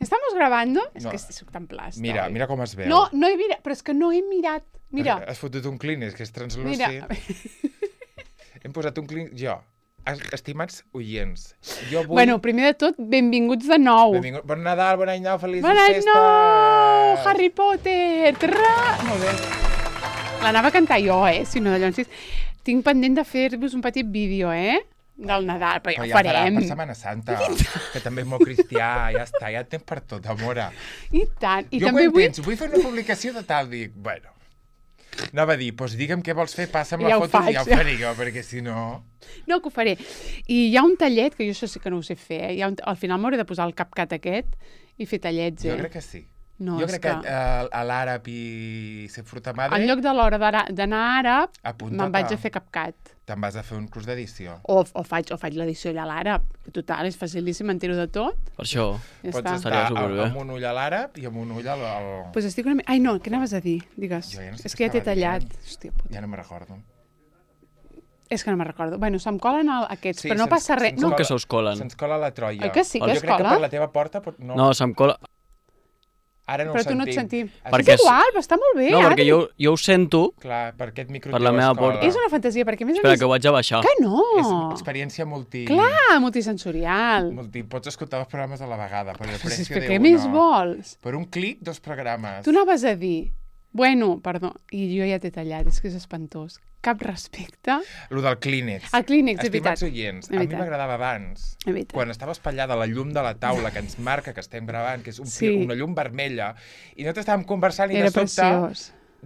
Estamos grabando? És que soc tan plasta. Mira com es veu. No he mirat, però és que no he mirat. Mira. Has fotut un Kleenex, que és translúcid. Hem posat un Kleenex... Jo, estimats oients, jo vull... Bueno, primer de tot, benvinguts de nou. Bon Nadal, bon any nou, felices Bon festes! any nou! Harry Potter! Molt bé. L'anava a cantar jo, si no de llavors. Tinc pendent de fer-vos un petit vídeo, del Nadal, però ja ho farem. Per Setmana Santa, que també és molt cristià, ja està, ja tens per tot, amora. I tant. I jo també vull fer una publicació de tal, dic, bueno, anava a dir, doncs digue'm què vols fer, passa'm la foto i ja ho faré jo, perquè si no... No, que ho faré. I hi ha un tallet, que jo això sí que no ho sé fer, al final m'hauré de posar el CapCut aquest i fer tallets, Jo crec que sí. No, jo crec que a l'àrab i ser fruta madre... En lloc de l'hora d'anar a àrab, me'n vaig a fer CapCut. Te'n vas a fer un curs d'edició. O faig l'edició allà a l'àrab. Total, és facilíssim, m'entero de tot. Per això pots estar amb un ull a l'àrab i amb un ull al... Pues estic una mica... Ai, no, què anaves a dir? Digues. Jo ja no sé és que ja t'he tallat. Hòstia puta. Ja no me'n recordo. És que no me'n recordo. Bueno, se'm colen aquests, però no passa res. Com que se us colen? Se'ns cola la troia. Oi que sí que es cola? Jo crec que per la teva porta... No, se'm cola... Ara no però ho sentim. tu no et sentim. Perquè és igual, però està molt bé. No, perquè jo ho sento. Clar, per aquest micro per la meva porta. És una fantasia, perquè més Espera, que ho vaig a baixar. Que no! És experiència multisensorial. Pots escoltar els programes a la vegada, per el precio de què més vols? Per un clic, 2 programes. Tu anaves a dir... Bueno, perdó, i jo ja t'he tallat, és que és espantós. Cap respecte. Lo del Kleenex. El Kleenex, és veritat. Estimats oients, a mi m'agradava abans, quan estava espatllada la llum de la taula que ens marca que estem gravant, que és una llum vermella, i nosaltres estàvem conversant i de sobte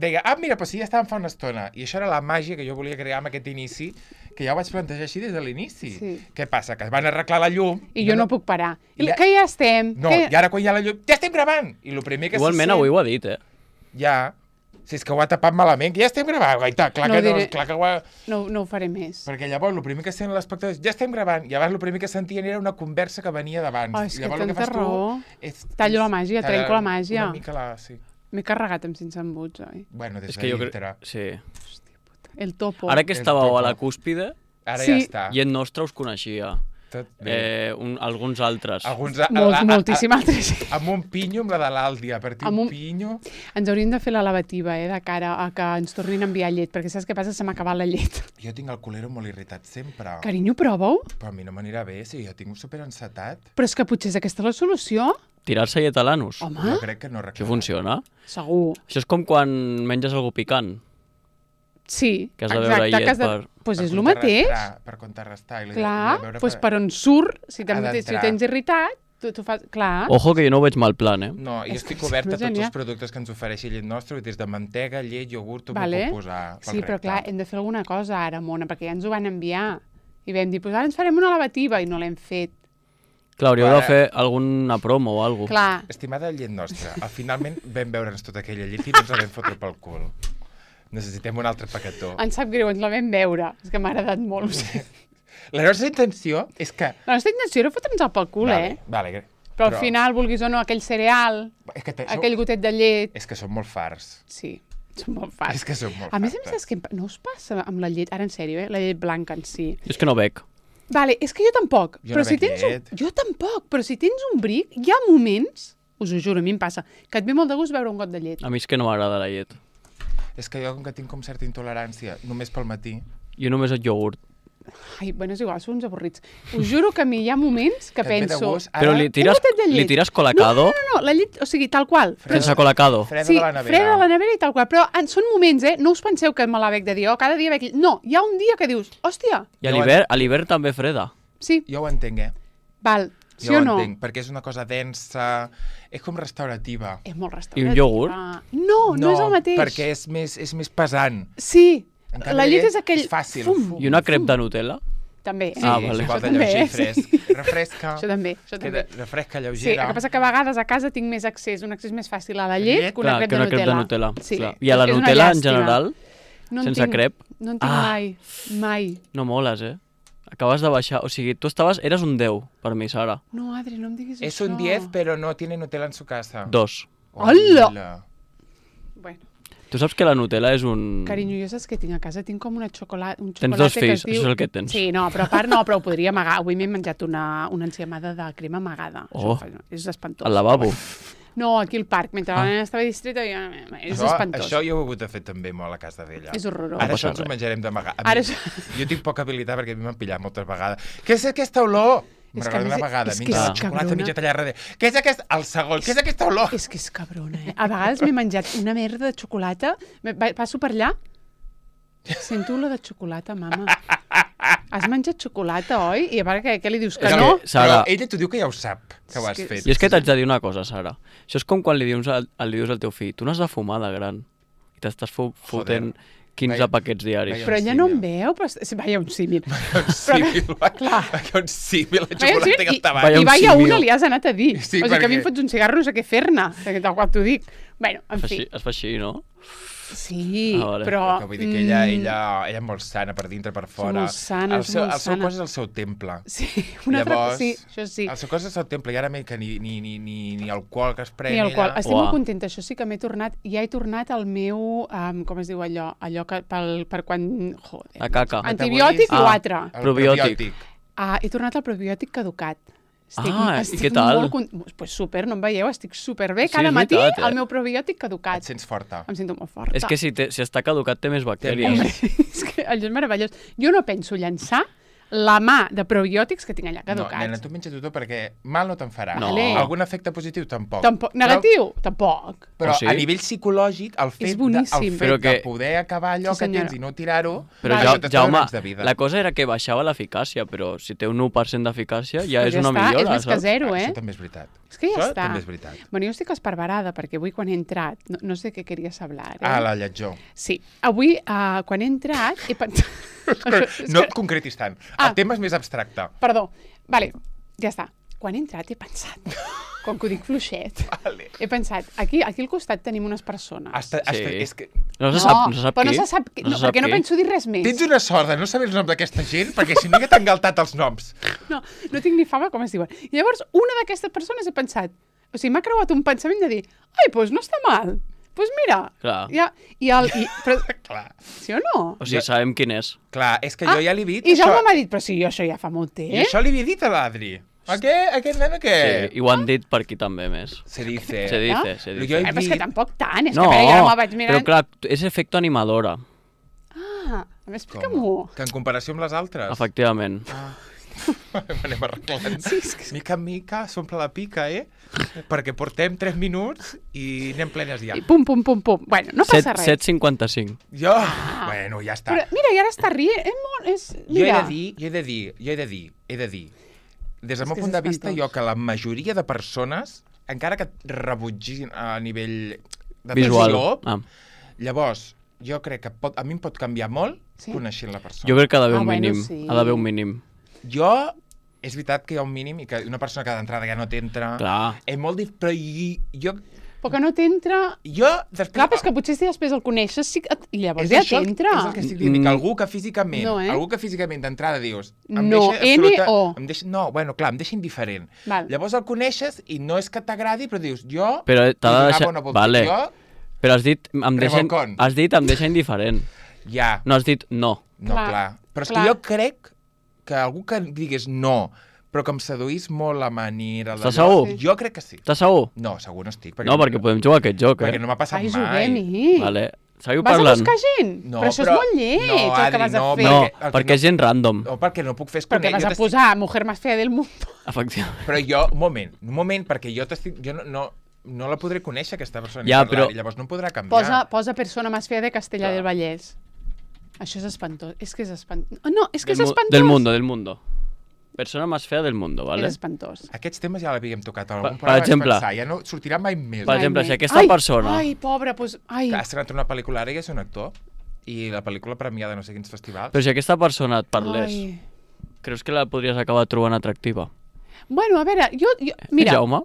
deia, mira, però sí, ja estàvem fa una estona. I això era la màgia que jo volia crear amb aquest inici, que ja ho vaig plantejar així des de l'inici. Sí. Què passa? Que van arreglar la llum... I jo no puc parar. Que ja estem. No, i ara quan hi ha la llum, ja estem gravant! I el primer que igualment avui ho ha dit, Ja... Si és que ho ha tapat malament, que ja estem gravant. Clar que ho ha... No ho faré més. Perquè llavors el primer que sent l'espectador és ja estem gravant, i llavors el primer que sentien era una conversa que venia d'abans. Oh, és que tanta raó. Tallo la màgia, trenco la màgia. Una mica sí. M'he carregat amb 500 embuts, oi? Bueno, des de dintre. Sí. Hòstia puta. El topo. Ara que estàveu a la cúspide, ara ja està. Gent nostra us coneixia. Alguns altres. Moltíssim altres. Amb un pinyo, amb la de l'Àldia, per dir un pinyo... Ens hauríem de fer la lavativa, de cara a que ens tornin a enviar llet, perquè saps què passa? Se m'ha acabat la llet. Jo tinc el culero molt irritat sempre. Carinyo, prova-ho. Però a mi no m'anirà bé, si jo tinc un superencetat. Però és que potser és aquesta la solució. Tirar-se llet a l'anus. Home. Jo crec que no recorda. Això funciona? Segur. Això és com quan menges algú picant. Sí, que has de veure llet pues és el mateix. Per contrarrestar. Clar, doncs per on surt, si tens irritat, tu fas... Clar. Ojo, que jo no ho veig mal plan, No, jo estic obert a tots els productes que ens ofereixi llet nostra, des de mantega, llet, iogurt, tu m'ho puc posar pel Sí, però clar, hem de fer alguna cosa ara, Mona, perquè ja ens ho van enviar. I vam dir, ara ens farem una lavativa, i no l'hem fet. Clar, hauríeu de fer alguna promo o alguna cosa. Clar. Estimada llet nostra, finalment vam veure'ns tota aquella llet i no ens la vam fotre pel cul. Necessitem un altre paquetó. Em sap greu, ens la vam veure. És que m'ha agradat molt. La nostra intenció és que... La nostra intenció era fotre'ns pel cul, Vale. Però al final, vulguis o no, aquell cereal, aquell gotet de llet... És que són molt farts. Sí, són molt farts. És que són molt farts. A més, saps què no us passa amb la llet, ara en sèrio, la llet blanca en si? És que no bec. Vale, és que jo tampoc. Jo no bec llet. Jo tampoc, però si tens un bric, hi ha moments, us ho juro, a mi em passa, que et ve molt de gust veure un got de llet. A mi és que no m'agrada la llet. És que jo, com que tinc com certa intolerància, només pel matí... Jo només el iogurt. Ai, bueno, és igual, són uns avorrits. Us juro que a mi hi ha moments que penso... Però li tires colacado? No, la llet, o sigui, tal qual. Sense colacado? Freda de la nevera. Sí, freda de la nevera i tal qual. Però són moments, no us penseu que me la bec de dir, cada dia bec... No, hi ha un dia que dius, hòstia... I a l'hivern també freda. Sí. Jo ho entenc, Val. Sí jo o no? entenc, perquè és una cosa densa, és com restaurativa. És molt restaurativa. I un iogurt? No és el mateix. Perquè és més pesant. Sí, canvi, la llet és aquell... És fàcil. I una crep de Nutella? També. Sí, vale. Igual de lleuger i fresc. Refresca. Això també. Refresca, lleugera. Sí, el que passa que a vegades a casa tinc més accés, un accés més fàcil a la llet que una crep de Nutella. Sí. I a la Nutella, en general, sense crep? No en tinc mai. No moles, Acabes de baixar, o sigui, eres un 10 per mi, Sara. No, Adri, no em diguis això. És un 10, però no tiene Nutella en su casa. 2. Hola! Bueno, Tu saps que la Nutella és un... Carinyo, jo saps què tinc a casa? Tinc com un xocolata Tens 2 fills, això és el que tens. Sí, no, però a part no, però ho podria amagar. Avui m'he menjat una enciamada de crema amagada. És espantós. Al lavabo? No, aquí al parc. Mentre la nena estava distreta, és espantós. Això jo ho he hagut de fer també molt a casa d'ella. És horrorós. Ara això ens ho menjarem d'amagar. Jo tinc poca habilitat perquè a mi m'han pillat moltes vegades. Què és aquesta olor? Me'n recordo una vegada, menja la xocolata mitja tallada darrere. Què és aquest? El segon, què és aquesta olor? És que és cabrona, A vegades m'he menjat una merda de xocolata, passo per allà, sento olor de xocolata, mama. Has menjat xocolata, oi? I a part, què li dius, que no? Però ella t'ho diu que ja ho sap, que ho has fet. I és que t'haig de dir una cosa, Sara. Això és com quan li dius al teu fill, tu n'has de fumar de gran. I t'estàs fotent 15 paquets diaris. Però ella no em veu, però... Vaja, un símil. Vaja, un símil, la xocolata que està baix. I vaja una li has anat a dir. O sigui que a mi em fots un cigarro, no sé què fer-ne, tal qual t'ho dic. Bueno, en fi. Es fa així, no? Sí, però... Vull dir que ella és molt sana per dintre, per fora. És molt sana, és molt sana. El seu cos és el seu temple. Sí, una altra... Sí, això sí. El seu cos és el temple, i ara que ni alcohol que es pren ella... Ni alcohol. Estic molt contenta, això sí que m'he tornat... Ja he tornat al meu... com es diu allò? Allò que per quan... Joder. La caca. Antibiòtic i l'altre. Probiòtic. He tornat al probiòtic caducat. I què tal? Pues super, no em veieu, estic superbé. Cada matí el meu probiòtic caducat. Et sents forta. Em sento molt forta. És que si està caducat té més bactèries. És que allò és meravellós. Jo no penso llançar la mà de probiòtics que tinc allà caducats. No, nena, tu menja-t'ho tot perquè mal no te'n farà. No. Algun efecte positiu? Tampoc. Negatiu? Tampoc. Però a nivell psicològic, el fet de poder acabar allò que tens i no tirar-ho... Però Jaume, la cosa era que baixava l'eficàcia, però si té un 1% d'eficàcia ja és una millora. És més que zero, Això també és veritat. És que ja està. Això també és veritat. Bueno, jo estic esparverada, perquè avui quan he entrat... No sé què queries hablar. La lletjor. Sí. Avui, quan he entrat, he pensat... No et concretis tant. El tema és més abstracte. Perdó. Vale, ja està. Quan he entrat he pensat, com que ho dic fluixet, he pensat, aquí al costat tenim unes persones. És que... No se sap però no se sap qui. No, perquè no penso dir res més. Tens una sort de no saber els noms d'aquesta gent, perquè si no ja t'han galtat els noms. No tinc ni fama com es diuen. I llavors, una d'aquestes persones he pensat, o sigui, m'ha creuat un pensament de dir, ai, doncs no està mal. Doncs mira, però, clar. Sí o no? O sigui, sabem quin és. Clar, és que jo ja li he dit... I Jaume m'ha dit, però sí, jo això ja fa molt temps. I això li havia dit a l'Adri. Aquest nen què? Sí, i ho han dit per aquí també més. Se dice. Se dice. Però és que tampoc tant, és que ja me vaig mirant... Però clar, és efecte animadora. Explica-m'ho. Que en comparació amb les altres? Efectivament. Anem arreglant. Mica en mica, s'omple la pica, Perquè portem 3 minuts i anem plenes ja. I pum. Bueno, no passa res. 7:55. Bueno, ja està. Però mira, i ara està rient. Jo he de dir, des del meu punt de vista, que la majoria de persones, encara que et rebutgin a nivell de visual, llavors, jo crec que a mi em pot canviar molt coneixent la persona. Jo crec que ha d'haver un mínim. Ha d'haver un mínim. Jo, és veritat que hi ha un mínim i que una persona que d'entrada ja no t'entra... Clar. És molt difícil, però jo... Però que no t'entra... Després... Clar, però és que potser si després el coneixes i llavors ja t'entra. És el que estic dient, que algú que físicament d'entrada dius... No, N-O. No, bueno, clar, em deixa indiferent. Llavors el coneixes i no és que t'agradi, però dius, jo... Però t'ha de deixar... Vale. Però has dit, em deixa indiferent. Ja. No has dit no. No, clar. Però és que jo crec que algú que digués no, però que em seduís molt la manera... Estàs segur? Jo crec que sí. Estàs segur? No, segur no estic. No, perquè podem jugar a aquest joc, Perquè no m'ha passat mai. Juguem-hi. Vale. Seguiu parlant. Vas a buscar gent? No, però això és molt lleig, el que vas a fer. No, perquè és gent random. No, perquè no puc fer... Perquè vas a posar mujer más fea del mundo. Efectivament. Però jo, un moment, perquè jo no la podré conèixer, aquesta persona, ni parlar, i llavors no em podrà canviar. Posa persona más fea de Castellà del Vallès. Això és espantós. És que és espantós. No, és que és espantós. Del mundo. Persona més fea del mundo, ¿vale? És espantós. Aquests temes ja l'havíem tocat a algun per exemple, ja no sortirà mai més. Per exemple, si aquesta persona... Ai, pobra, doncs... Que ha estrenat una pel·lícula ara i és un actor, i la pel·lícula premiada no sé quins festivals. Però si aquesta persona et parlés, creus que la podries acabar trobant atractiva? Bueno, a veure, jo mira... Jaume?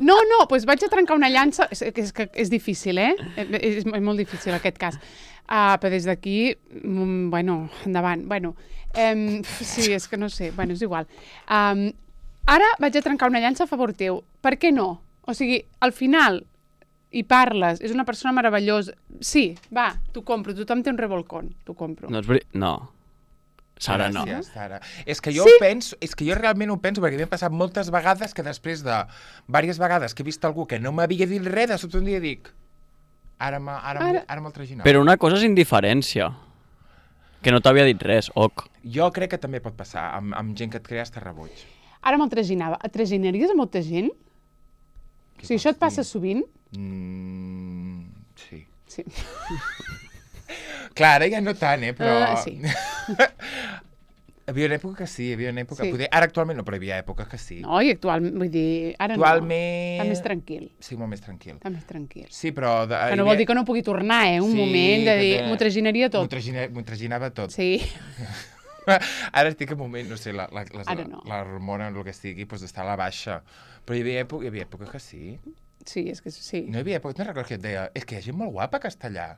No, doncs vaig a trencar una llança... És difícil, És molt difícil aquest cas. Però des d'aquí, bueno, endavant. Bueno, sí, és que no sé. Bueno, és igual. Ara vaig a trencar una llança a favor teu. Per què no? O sigui, al final, i parles, és una persona meravellosa. Sí, va, t'ho compro, tothom té un revolcón, t'ho compro. No. Sara, no. Gràcies, Sara. És que jo realment ho penso, perquè m'he passat moltes vegades que després de diverses vegades que he vist algú que no m'havia dit res, de sobte un dia dic, ara me'l traginava. Però una cosa és indiferència, que no t'havia dit res, Jo crec que també pot passar, amb gent que et crea hasta rebuig. Ara me'l traginava. Et traginaries a molta gent? O sigui, això et passa sovint? Sí. Sí. Clar, ara ja no tant, però... Sí. Hi havia una època que sí, Sí. Poder... Ara actualment no, però hi havia èpoques que sí. No, i actualment, vull dir, ara actualment... no. Està més tranquil. Sí, molt més tranquil. Està més tranquil. Sí, però... Que no vol dir que no pugui tornar, un moment de dir, m'ho traginaria tot. M'ho traginava tot. Sí. Ara estic en un moment, no sé, la hormona o el que sigui, doncs està a la baixa. Però hi havia època que sí. Sí, és que sí. No hi havia època, no recordo que et deia, és que hi ha gent molt guapa que està allà.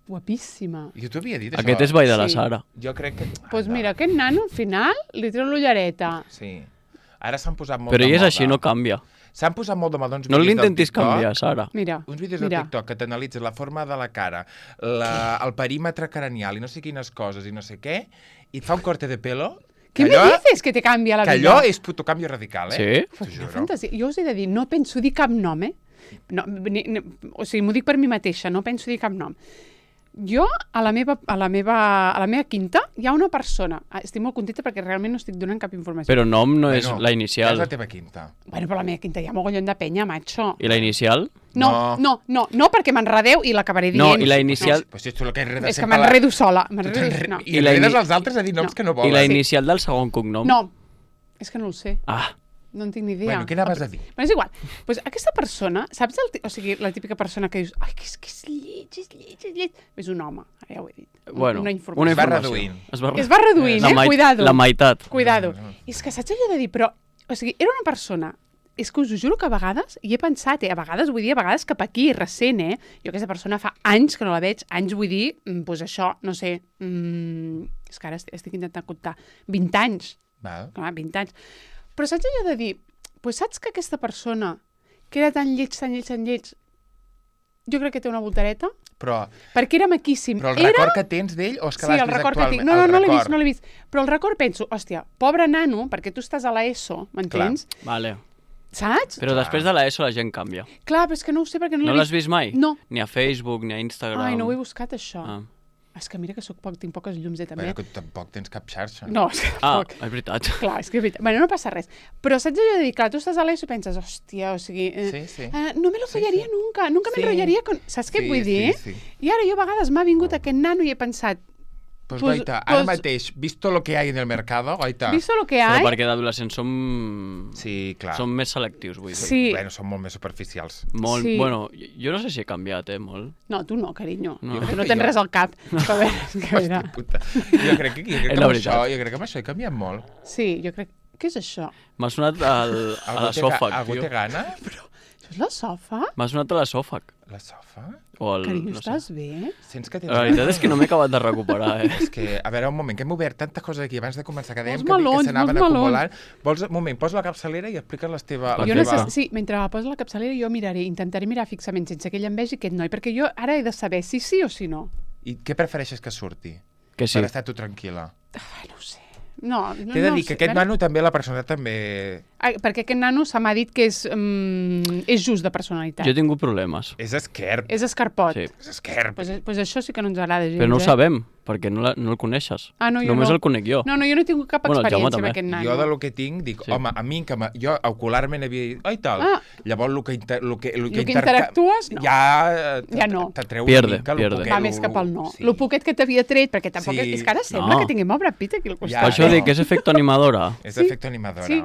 Guapíssima. Jo t'ho havia dit, això. Aquest és Vall de la Sara. Jo crec que... Doncs mira, aquest nano, al final, li treu l'ullereta. Sí. Ara s'han posat molt de moda. Però ell és així, no canvia. S'han posat molt de moda uns no vídeos l'intentis canviar, Sara. Uns vídeos de TikTok que t'analitzen la forma de la cara, el perímetre cranial i no sé quines coses i no sé què, i et fa un corte de pelo... Què me dices que te canvia la vida? Que allò és puto canvi radical, Sí? T'ho juro. Fantasia. Jo us he de dir, no penso dir cap nom, No, o sigui, m'ho dic per mi mateixa, no penso dir cap nom. Jo, a la meva quinta, hi ha una persona. Estic molt contenta perquè realment no estic donant cap informació. Però nom no és la inicial. És la teva quinta. Bueno, però a la meva quinta hi ha mogollon de penya, macho. I la inicial? No, perquè m'enredeu i l'acabaré dient. No, i la inicial... Pues si tu el que enredes és que m'enredo sola. I enredes els altres a dir noms que no volen. I la inicial del segon cognom? No, és que no el sé. Ah. No en tinc ni idea. Bueno, què anaves a dir? Bueno, és igual. Pues aquesta persona, saps? O sigui, la típica persona que dius, ai, que és lleig. És un home, ara ja ho he dit. Bueno, una informació. Es va reduint. Es va reduint, Cuidado. La meitat. Cuidado. És que saps allò de dir, però... O sigui, era una persona... És que us ho juro que a vegades, i he pensat, a vegades vull dir, a vegades cap aquí, recent, Jo aquesta persona fa anys que no la veig, anys vull dir, doncs això, no sé, és que ara estic intentant comptar, 20 anys. Val. Clar, 20 anys. Però saps allò de dir, pues saps que aquesta persona, que era tan lleig, jo crec que té una voltareta? Però... Perquè era maquíssim. Però el record que tens d'ell o és que l'has vist actualment? No l'he vist. Però el record penso, hòstia, pobre nano, perquè tu estàs a l'ESO, m'entens? Vale. Saps? Però després de l'ESO la gent canvia. Clar, però és que no ho sé perquè no l'he vist. No l'has vist mai? No. Ni a Facebook, ni a Instagram. Ai, no ho he buscat, això. És que mira que tinc poques llums, també. Bueno, que tampoc tens cap xarxa. No, és que tampoc. És veritat. Clar, és que és veritat. Bueno, no passa res. Però saps allò de dir, clar, tu estàs a l'ESO i penses, hòstia, o sigui... no me lo follaria nunca me enrotllaria con... Saps què vull dir? Sí. I ara jo a vegades m'ha vingut aquest nano i he pensat... Pues goita, ara mateix, visto lo que hay en el mercado, goita... Visto lo que hay... Però perquè d'adolescents som... Sí, clar. Som més selectius, vull dir. Sí. Bueno, són molt més superficials. Molt, bueno, jo no sé si he canviat, molt. No, tu no, carinyo. No. Tu no tens res al cap. Hòstia puta. Jo crec que amb això he canviat molt. Sí, jo crec... Què és això? M'ha sonat a l'esòfag, Algú té gana? Però, això és l'esòfag? M'ha sonat a l'esòfag. L'esòfag? Carinyo, estàs bé? Sents que tens... La veritat és que no m'he acabat de recuperar, És que, a veure, un moment, que hem obert tantes coses aquí abans de començar, que dèiem que s'anaven acumulant. Vols, un moment, posa la capçalera i explica les teves... Sí, mentre posa la capçalera jo intentaré mirar fixament sense que ell em vegi aquest noi, perquè jo ara he de saber si sí o si no. I què prefereixes que surti? Que sí. Per estar tu tranquil·la. No ho sé. No, t'he de dir que aquest nano també, la personalitat també... Perquè aquest nano se m'ha dit que és just de personalitat. Jo he tingut problemes. És esquerp. És escarpot. Sí. És esquerp. Pues això sí que no ens agrada gens. Però no ho sabem, perquè no el coneixes. Només el conec jo. No, jo no he tingut cap experiència amb aquest nano. Jo del que tinc, dic, home, a mi, jo ocularment havia dit, oi tal, llavors el que interactues, no. Ja no. T'atreu una mica el poquet. Va més cap al no. El poquet que t'havia tret, perquè tampoc... És que ara sembla que tinguem Brad Pitt aquí al costat. Per això dic que és efecte animadora. És efecte animadora. Sí.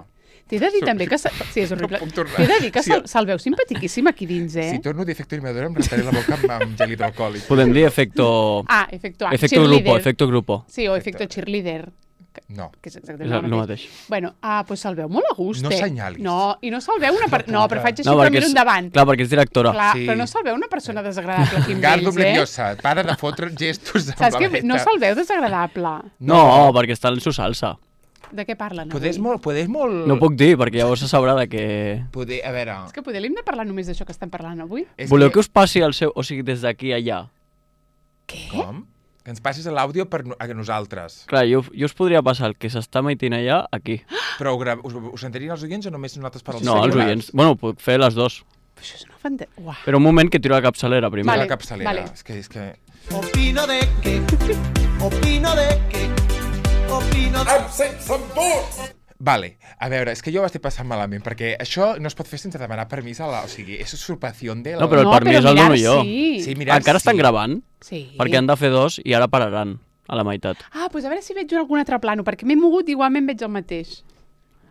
T'he de dir també que... Sí, és horrible. T'he de dir que se'l veu simpatiquíssim aquí dins, Si torno a dir efecte animadora em rentaré la boca amb gel hidroalcohòlic. Podem dir efecto... efecto grupo. Sí, o efecto cheerleader. No. Que és exactament el mateix. Bueno, doncs se'l veu molt a gust. No senyalis. No, i no se'l veu una... No, però faig així per mirar endavant. Clar, perquè és directora. Clar, però no se'l veu una persona desagradable aquí amb ells, Gardo Blediosa, para de fotre gestos amb Saps que no se'l veu desagradable. No, perquè està en su salsa. De què parlen avui? Podés molt... No puc dir, perquè llavors se sabrà de què... A veure... És que poder hem de parlar només d'això que estem parlant avui? Voleu que us passi el seu... O sigui, des d'aquí a allà? Què? Com? Que ens passis l'àudio a nosaltres. Clar, jo us podria passar el que s'està emetent allà aquí. Però us sentirien els oients o només nosaltres per als No, els oients. Bueno, puc fer les dues. Però això és una fantàstica. Però un moment que tiro la capçalera primer. Vale, la capçalera. Vale. És que... Opino de que... Vale, a veure, és que jo ho estic passant malament, perquè això no es pot fer sense demanar permís a la... O sigui, és usurpació de la... No, però el permís el dono jo. Sí, mirar, encara estan gravant? Sí. Perquè han de fer 2 i ara pararan a la meitat. Doncs a veure si veig algun altre plano, perquè m'he mogut i igualment veig el mateix.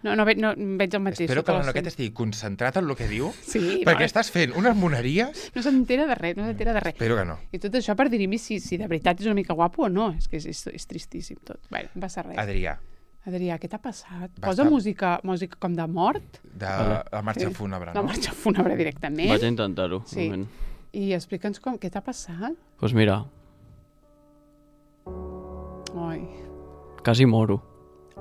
No veig el mateix. Espero que el nano aquest estigui concentrat en el que diu, sí, perquè estàs fent unes moneries... No s'entera de res, Espero que no. I tot això per dir-me si de veritat és una mica guapo o no. És que és tristíssim tot. Bé, no passa res. Adrià, què t'ha passat? Posa música com de mort? De la marxa fúnebre, no? La marxa fúnebre directament. Vaig a intentar-ho, un moment. I explica'ns què t'ha passat. Doncs mira. Ai. Quasi moro.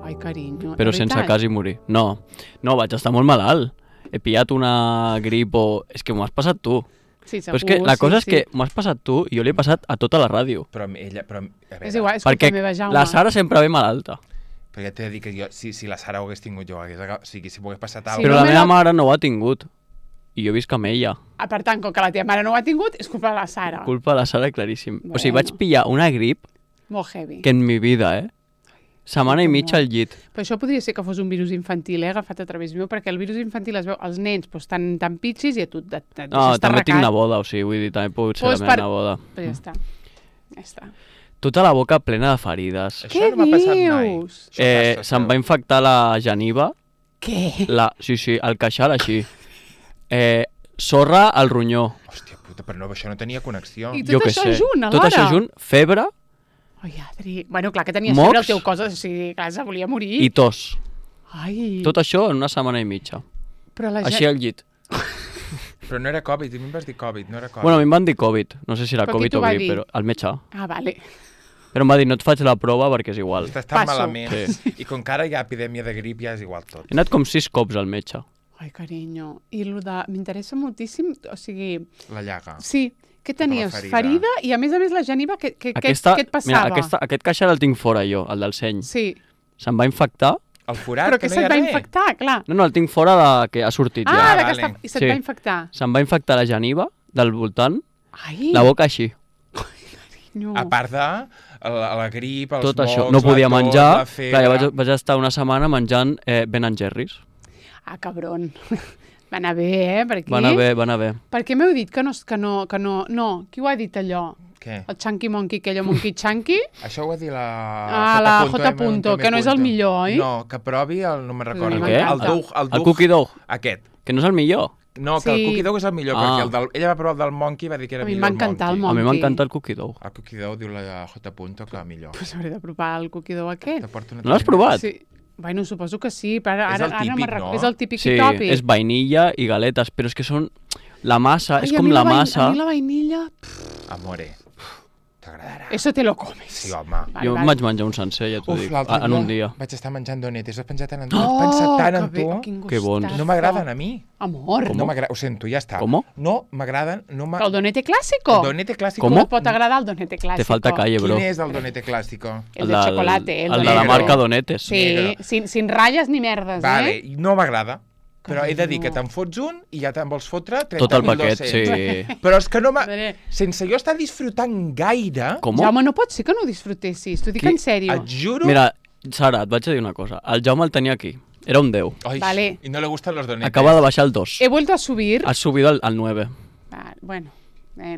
Ai, carinyo. Però sense quasi morir. No, vaig estar molt malalt. He pillat una grip o... És que m'ho has passat tu. Sí, segur, però és que la cosa és que m'ho has passat tu i jo l'he passat a tota la ràdio. Però ella... a veure, és igual, és culpa meva, Jaume. La Sara sempre ve malalta. Perquè t'he de dir que jo, si la Sara ho hagués tingut jo, o sigui, si m'ho hagués passat Però la meva mare no ho ha tingut. I jo visc amb ella. Per tant, com que la teva mare no ho ha tingut, és culpa de la Sara. Culpa de la Sara, claríssim. O sigui, vaig pillar una grip... Molt heavy. Que en mi vida, setmana i mitja al llit. Però això podria ser que fos un virus infantil, agafat a través meu, perquè el virus infantil es veu als nens tan pitxis i a tu et deixes No, també tinc neboda, o sigui, vull dir, també pot ser la meva neboda. Però ja està. Tota la boca plena de ferides. Què dius? Se'm va infectar la geniva. Què? Sí, el queixal així. Sorra al ronyó. Hòstia puta, però no, això no tenia connexió. I tot això junt, alhora? Tot això junt, febre. Ai, Adri. Bueno, clar que tenies febre el teu cos, o sigui, clar, se volia morir. I tos. Ai. Tot això en una setmana i mitja. Així al llit. Però no era Covid, a mi em vas dir Covid, no era Covid. Bueno, a mi em van dir Covid, no sé si era Covid o grip, però el metge. Ah, vale. Però em va dir, no et faig la prova perquè és igual. Estàs tan malament, i com que ara hi ha epidèmia de grip ja és igual tot. He anat com 6 cops al metge. Ai, carinyo. I m'interessa moltíssim, o sigui... La llaga. Sí. Què tenies? Ferida i a més la geniva, què et passava? Mira, aquest queixal el tinc fora jo, el del seny. Sí. Se'm va infectar. El forat, però que se't va infectar, clar. No, el tinc fora que ha sortit ja. Ah, i se't va infectar. Se'm va infectar la geniva del voltant, ai. La boca així. Ai, carinyo. A part de la grip, els tot mocs, això. No podia menjar. La febre... Clar, vaig estar una setmana menjant Ben & Jerry's. Ah, cabron. Va anar bé, per aquí. Va anar bé. Per què m'heu dit que no... No, qui ho ha dit allò? Què? El Chunky Monkey, aquell Monkey Chunky? Això ho va dir la... la J. que no és el millor, oi? No, que provi no me'n recordo. Què? El Cookie Dough. Aquest. Que no és el millor. No, que el Cookie Dough és el millor, perquè ella va provar el del Monkey i va dir que era millor el Monkey. A mi m'encanta el Cookie Dough. El Cookie Dough diu la J. que millor. Doncs hauré de provar el Cookie Dough aquest. No l'has provat? Sí. Bueno, suposo que sí, però ara no me'n recordo. És el típic i tòpic. Sí, és vainilla i galetes, però és que són... La massa, és com la massa... A mi la vainilla... Amore, t'agradarà. Eso te lo comes. Sí, home. Jo em vaig menjar un sencer, ja t'ho dic, en un dia. Vaig estar menjant donetes, has pensat tant en tu, has pensat tant en tu. Que bons. No m'agraden a mi. Amor. No m'agrada, ho sento, ja està. Com? No m'agraden, El donete clásico? El donete clásico. Com et pot agradar el donete clásico? Te falta calle, bro. Quin és el donete clásico? El de chocolate. El de la marca Donetes. Sí, sin ratlles ni merdes, Vale, no m'agrada. Però he de dir que te'n fots un i ja te'n vols fotre 30.200. Tot el paquet, sí. Però és que no sense jo estar disfrutant gaire... Com? Jaume, no pot ser que no ho disfrutessis, t'ho dic en sèrio. Et juro... Mira, Sara, et vaig a dir una cosa. El Jaume el tenia aquí. Era un 10. Ai, vale. I no le gustan los donetes. Acaba de baixar el 2. He vuelto a subir. Has subido al 9. Bueno,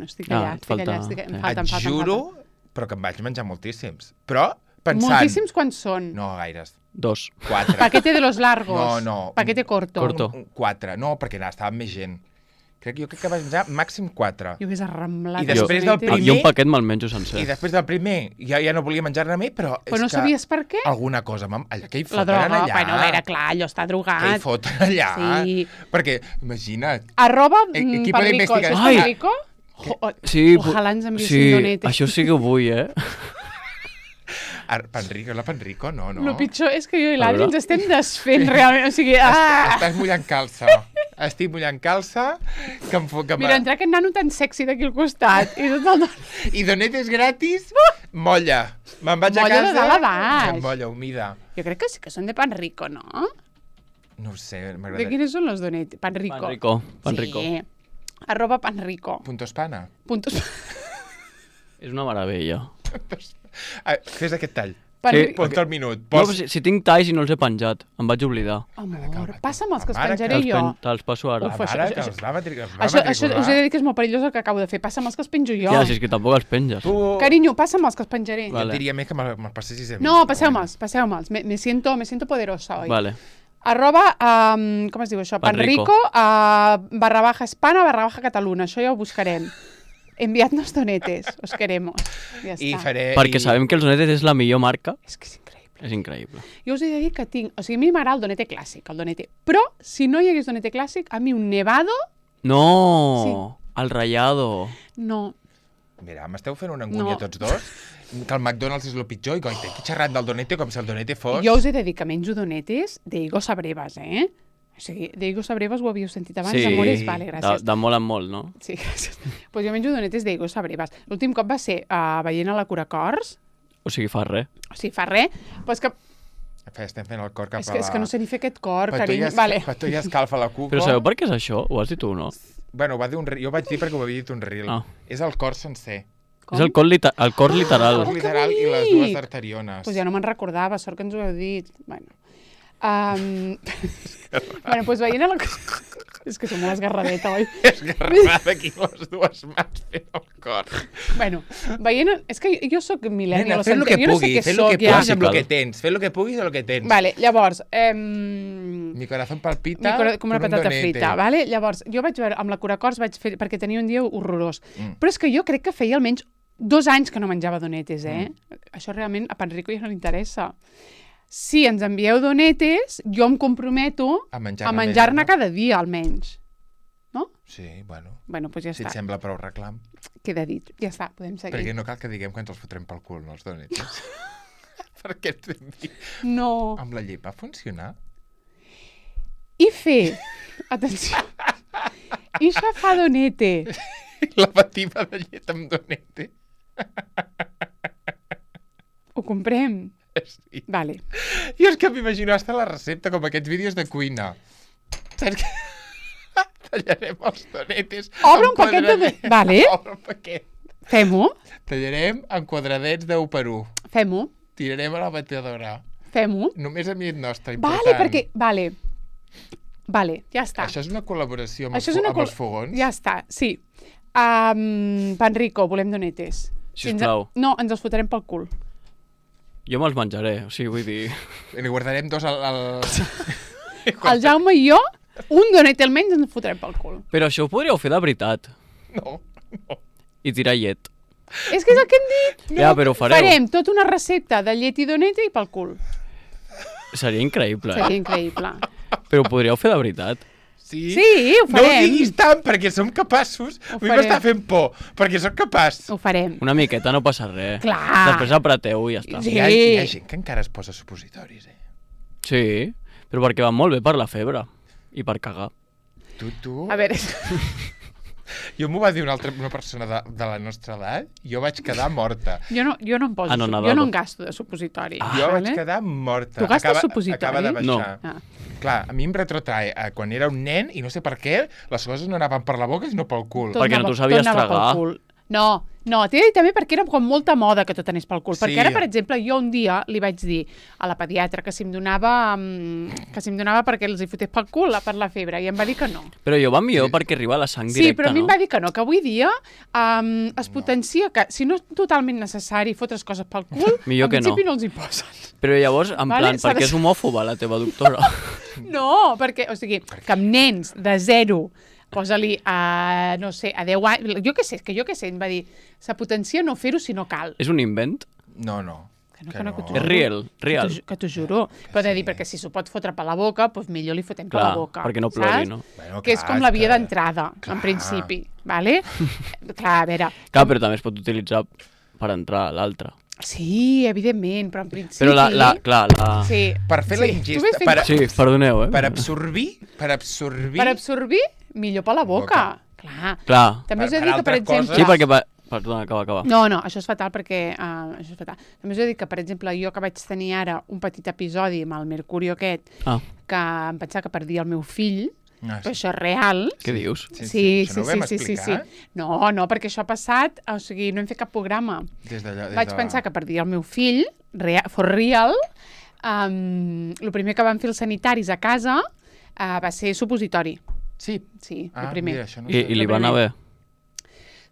estic allà. Et juro, però que em vaig menjar moltíssims. Però pensant... Moltíssims quants són? No, gaires. 2. 4. Paquete de los largos. No. Paquete corto. 4. No, perquè estava amb més gent. Jo crec que vaig menjar màxim 4. Jo hagués arramblat. I després del primer... Jo un paquet me'l menjo sencer. I després del primer ja no volia menjar-ne més, però és que... Però no sabies per què? Alguna cosa. Què hi foten allà? La droga. Bueno, a veure, clar, allò està drogat. Què hi foten allà? Sí. Perquè, imagina't... Equipo d'investigació. ¿Es Perrico? Sí, ojalà ens enviessin donetes. Això sí que ho vull, Panrico, la Panrico, no. El pitjor és que jo i l'Adri ens estem desfent realment, o sigui... Estàs mullant calça. Estic mullant calça. Mira, entrar aquest nano tan sexy d'aquí al costat. I donetes gratis, molla. Me'n vaig a casa... Molla de dalt a baix. Molla humida. Jo crec que sí que són de Panrico, no? No ho sé, m'agrada. De quines són les donetes? Panrico. Sí. @Panrico. Puntospana. És una meravella. Fes aquest tall. Sí. Ponte el minut. No, si tinc talls i no els he penjat, em vaig oblidar. Amor, passa'm els que els penjaré jo. Te'ls passo ara. Això us he de dir que és molt perillós el que acabo de fer. Passa'm els que els penjo jo. Ja, si és que tampoc els penges. Carinyo, passa'm els que els penjaré. Jo diria més que me'ls passessis a mi. No, passeu-me'ls. Me siento poderosa hoy. Vale. Com es diu això? Panrico, /Espana, /Catalunya. Això ja ho buscarem. Enviadnos donetes, os queremos. Ja està. Perquè sabem que els donetes és la millor marca. És que és increïble. És increïble. Jo us he de dir que tinc... O sigui, a mi m'agrada el donete clàssic, el donete. Però, si no hi hagués donete clàssic, a mi un nevado... No! Sí. El rallado. No. Mira, m'esteu fent una angúnia tots dos, que el McDonald's és el pitjor i aquí xerrant del donete com si el donete fos... Jo us he de dir que menjo donetes d'Higo Sabrevas, O sigui, d'Higo Sabrevas ho havíeu sentit abans, sí, amores? Vale, gràcies. De molt en molt, no? Sí, gràcies. Pues jo menjo donetes d'Higo Sabrevas. L'últim cop va ser veient a la Curacors. O sigui, fa res. O sigui, fa res. Però és que... Estem fent el cor cap a la... És que no sé ni fer aquest cor, carinyo. Per tu ja escalfa la cuca. Però sabeu per què és això? Ho has dit tu, no? Bueno, jo vaig dir perquè ho havia dit un reel. És el cor sencer. Com? És el cor literal. El cor literal i les dues arteriones. Pues ja no me'n recordava, sort que ens ho heu dit. Bueno, pues veient a la... És que som molt esgarradeta, oi? Esgarradada aquí les dues mans fent el cor. Bueno, veient... És que jo sóc millennial. Fes el que puguis, fes el que puguis amb el que tens. Fes el que puguis amb el que tens. Vale, llavors... Mi corazón palpita com una patata frita, vale? Llavors, jo vaig veure, amb la Curacors vaig fer... Perquè tenia un dia horrorós. Però és que jo crec que feia almenys 2 anys que no menjava donetes, Això realment a Panrico ja no li interessa. Si ens envieu donetes, jo em comprometo a menjar-ne cada dia, almenys. No? Sí, bueno. Bueno, doncs ja està. Si et sembla prou reclam. Queda dit. Ja està, podem seguir. Perquè no cal que diguem que ens els fotrem pel cul, no, els donetes. Perquè no. Amb la llet va funcionar? I fer... Atenció. I xafar donete. La bativa de llet amb donete. Ho comprem? Sí. Vale. Jo és que m'imagino hasta la recepta, com aquests vídeos de cuina. Saps què? Tallarem els donetes... Obre un paquet de... Vale. Obre un paquet. Fem-ho. Tallarem en quadradets d'1 per 1. Fem-ho. Tirarem a la batedora. Fem-ho. Només a mi et nostre, important. Vale, perquè... Vale, ja està. Això és una col·laboració amb els fogons? Ja està, sí. Panrico, volem donetes. Sisplau. No, ens els fotrem pel cul. Jo me'ls menjaré, o sigui, vull dir... Li guardarem 2 al... El Jaume i jo, un donete almenys ens fotrem pel cul. Però això ho podríeu fer de veritat. No. I tirar llet. És que és el que hem dit. No. Ja, però ho fareu. Farem tota una recepta de llet i donete i pel cul. Seria increïble. Seria increïble. Però ho podríeu fer de veritat. Sí? Sí, ho farem. No ho diguis tant, perquè som capaços. A mi m'està fent por, perquè sóc capaç. Ho farem. Una miqueta, no passa res. Clar. Després apreteu i ja està. Sí. Hi ha gent que encara es posa supositoris, Sí, però perquè van molt bé per la febre. I per cagar. Tu? A veure... Jo m'ho va dir una persona de la nostra edat, jo vaig quedar morta. Jo no em poso, jo no en gasto de supositori. Jo vaig quedar morta. Tu gastes supositori? Acaba de baixar. No. Clar, a mi em retrotrae a quan era un nen i no sé per què les coses no anaven per la boca sinó pel cul. Perquè no t'ho sabies tragar. No, t'he dit també perquè era com molta moda que tot anés pel cul. Sí. Perquè ara, per exemple, jo un dia li vaig dir a la pediatra que si em donava perquè els hi fotés pel cul per la febre, i em va dir que no. Però jo va millor perquè arriba la sang directa, no? Sí, però a mi em va dir que no, que avui dia es potencia que si no és totalment necessari fotre's coses pel cul, millor en principi no els hi posen. Però llavors, en plan, perquè és homòfoba la teva doctora. No, perquè, o sigui, que amb nens de 0... posa-li no sé, a 10 anys... Jo què sé, em va dir, se potencia no fer-ho si no cal. És un invent? No. Que no. És real. Que t'ho juro. Però de dir, perquè si s'ho pot fotre per la boca, doncs millor li fotem per la boca. Perquè no plori, no? Bueno, que és com la via d'entrada, en principi. Vale? Clar, a veure... Clar, però també es pot utilitzar per entrar a l'altre. Sí, evidentment, però en principi... Però clar. Sí. Per fer la ingesta... Sí, perdoneu, Per absorbir... Per absorbir, millor per la boca. Clar. També us he dit que, per exemple... Sí, perquè... Perdona, acaba. No, això és fatal perquè... això és fatal. També us he dit que, per exemple, jo que vaig tenir ara un petit episodi amb el Mercurio aquest, que em pensava que perdia el meu fill, però això és real. Què dius? Sí. No, perquè això ha passat, o sigui, no hem fet cap programa. Vaig pensar que perdia el meu fill, for real. El primer que van fer els sanitaris a casa va ser supositori. Sí? Sí, el primer. I li va anar bé?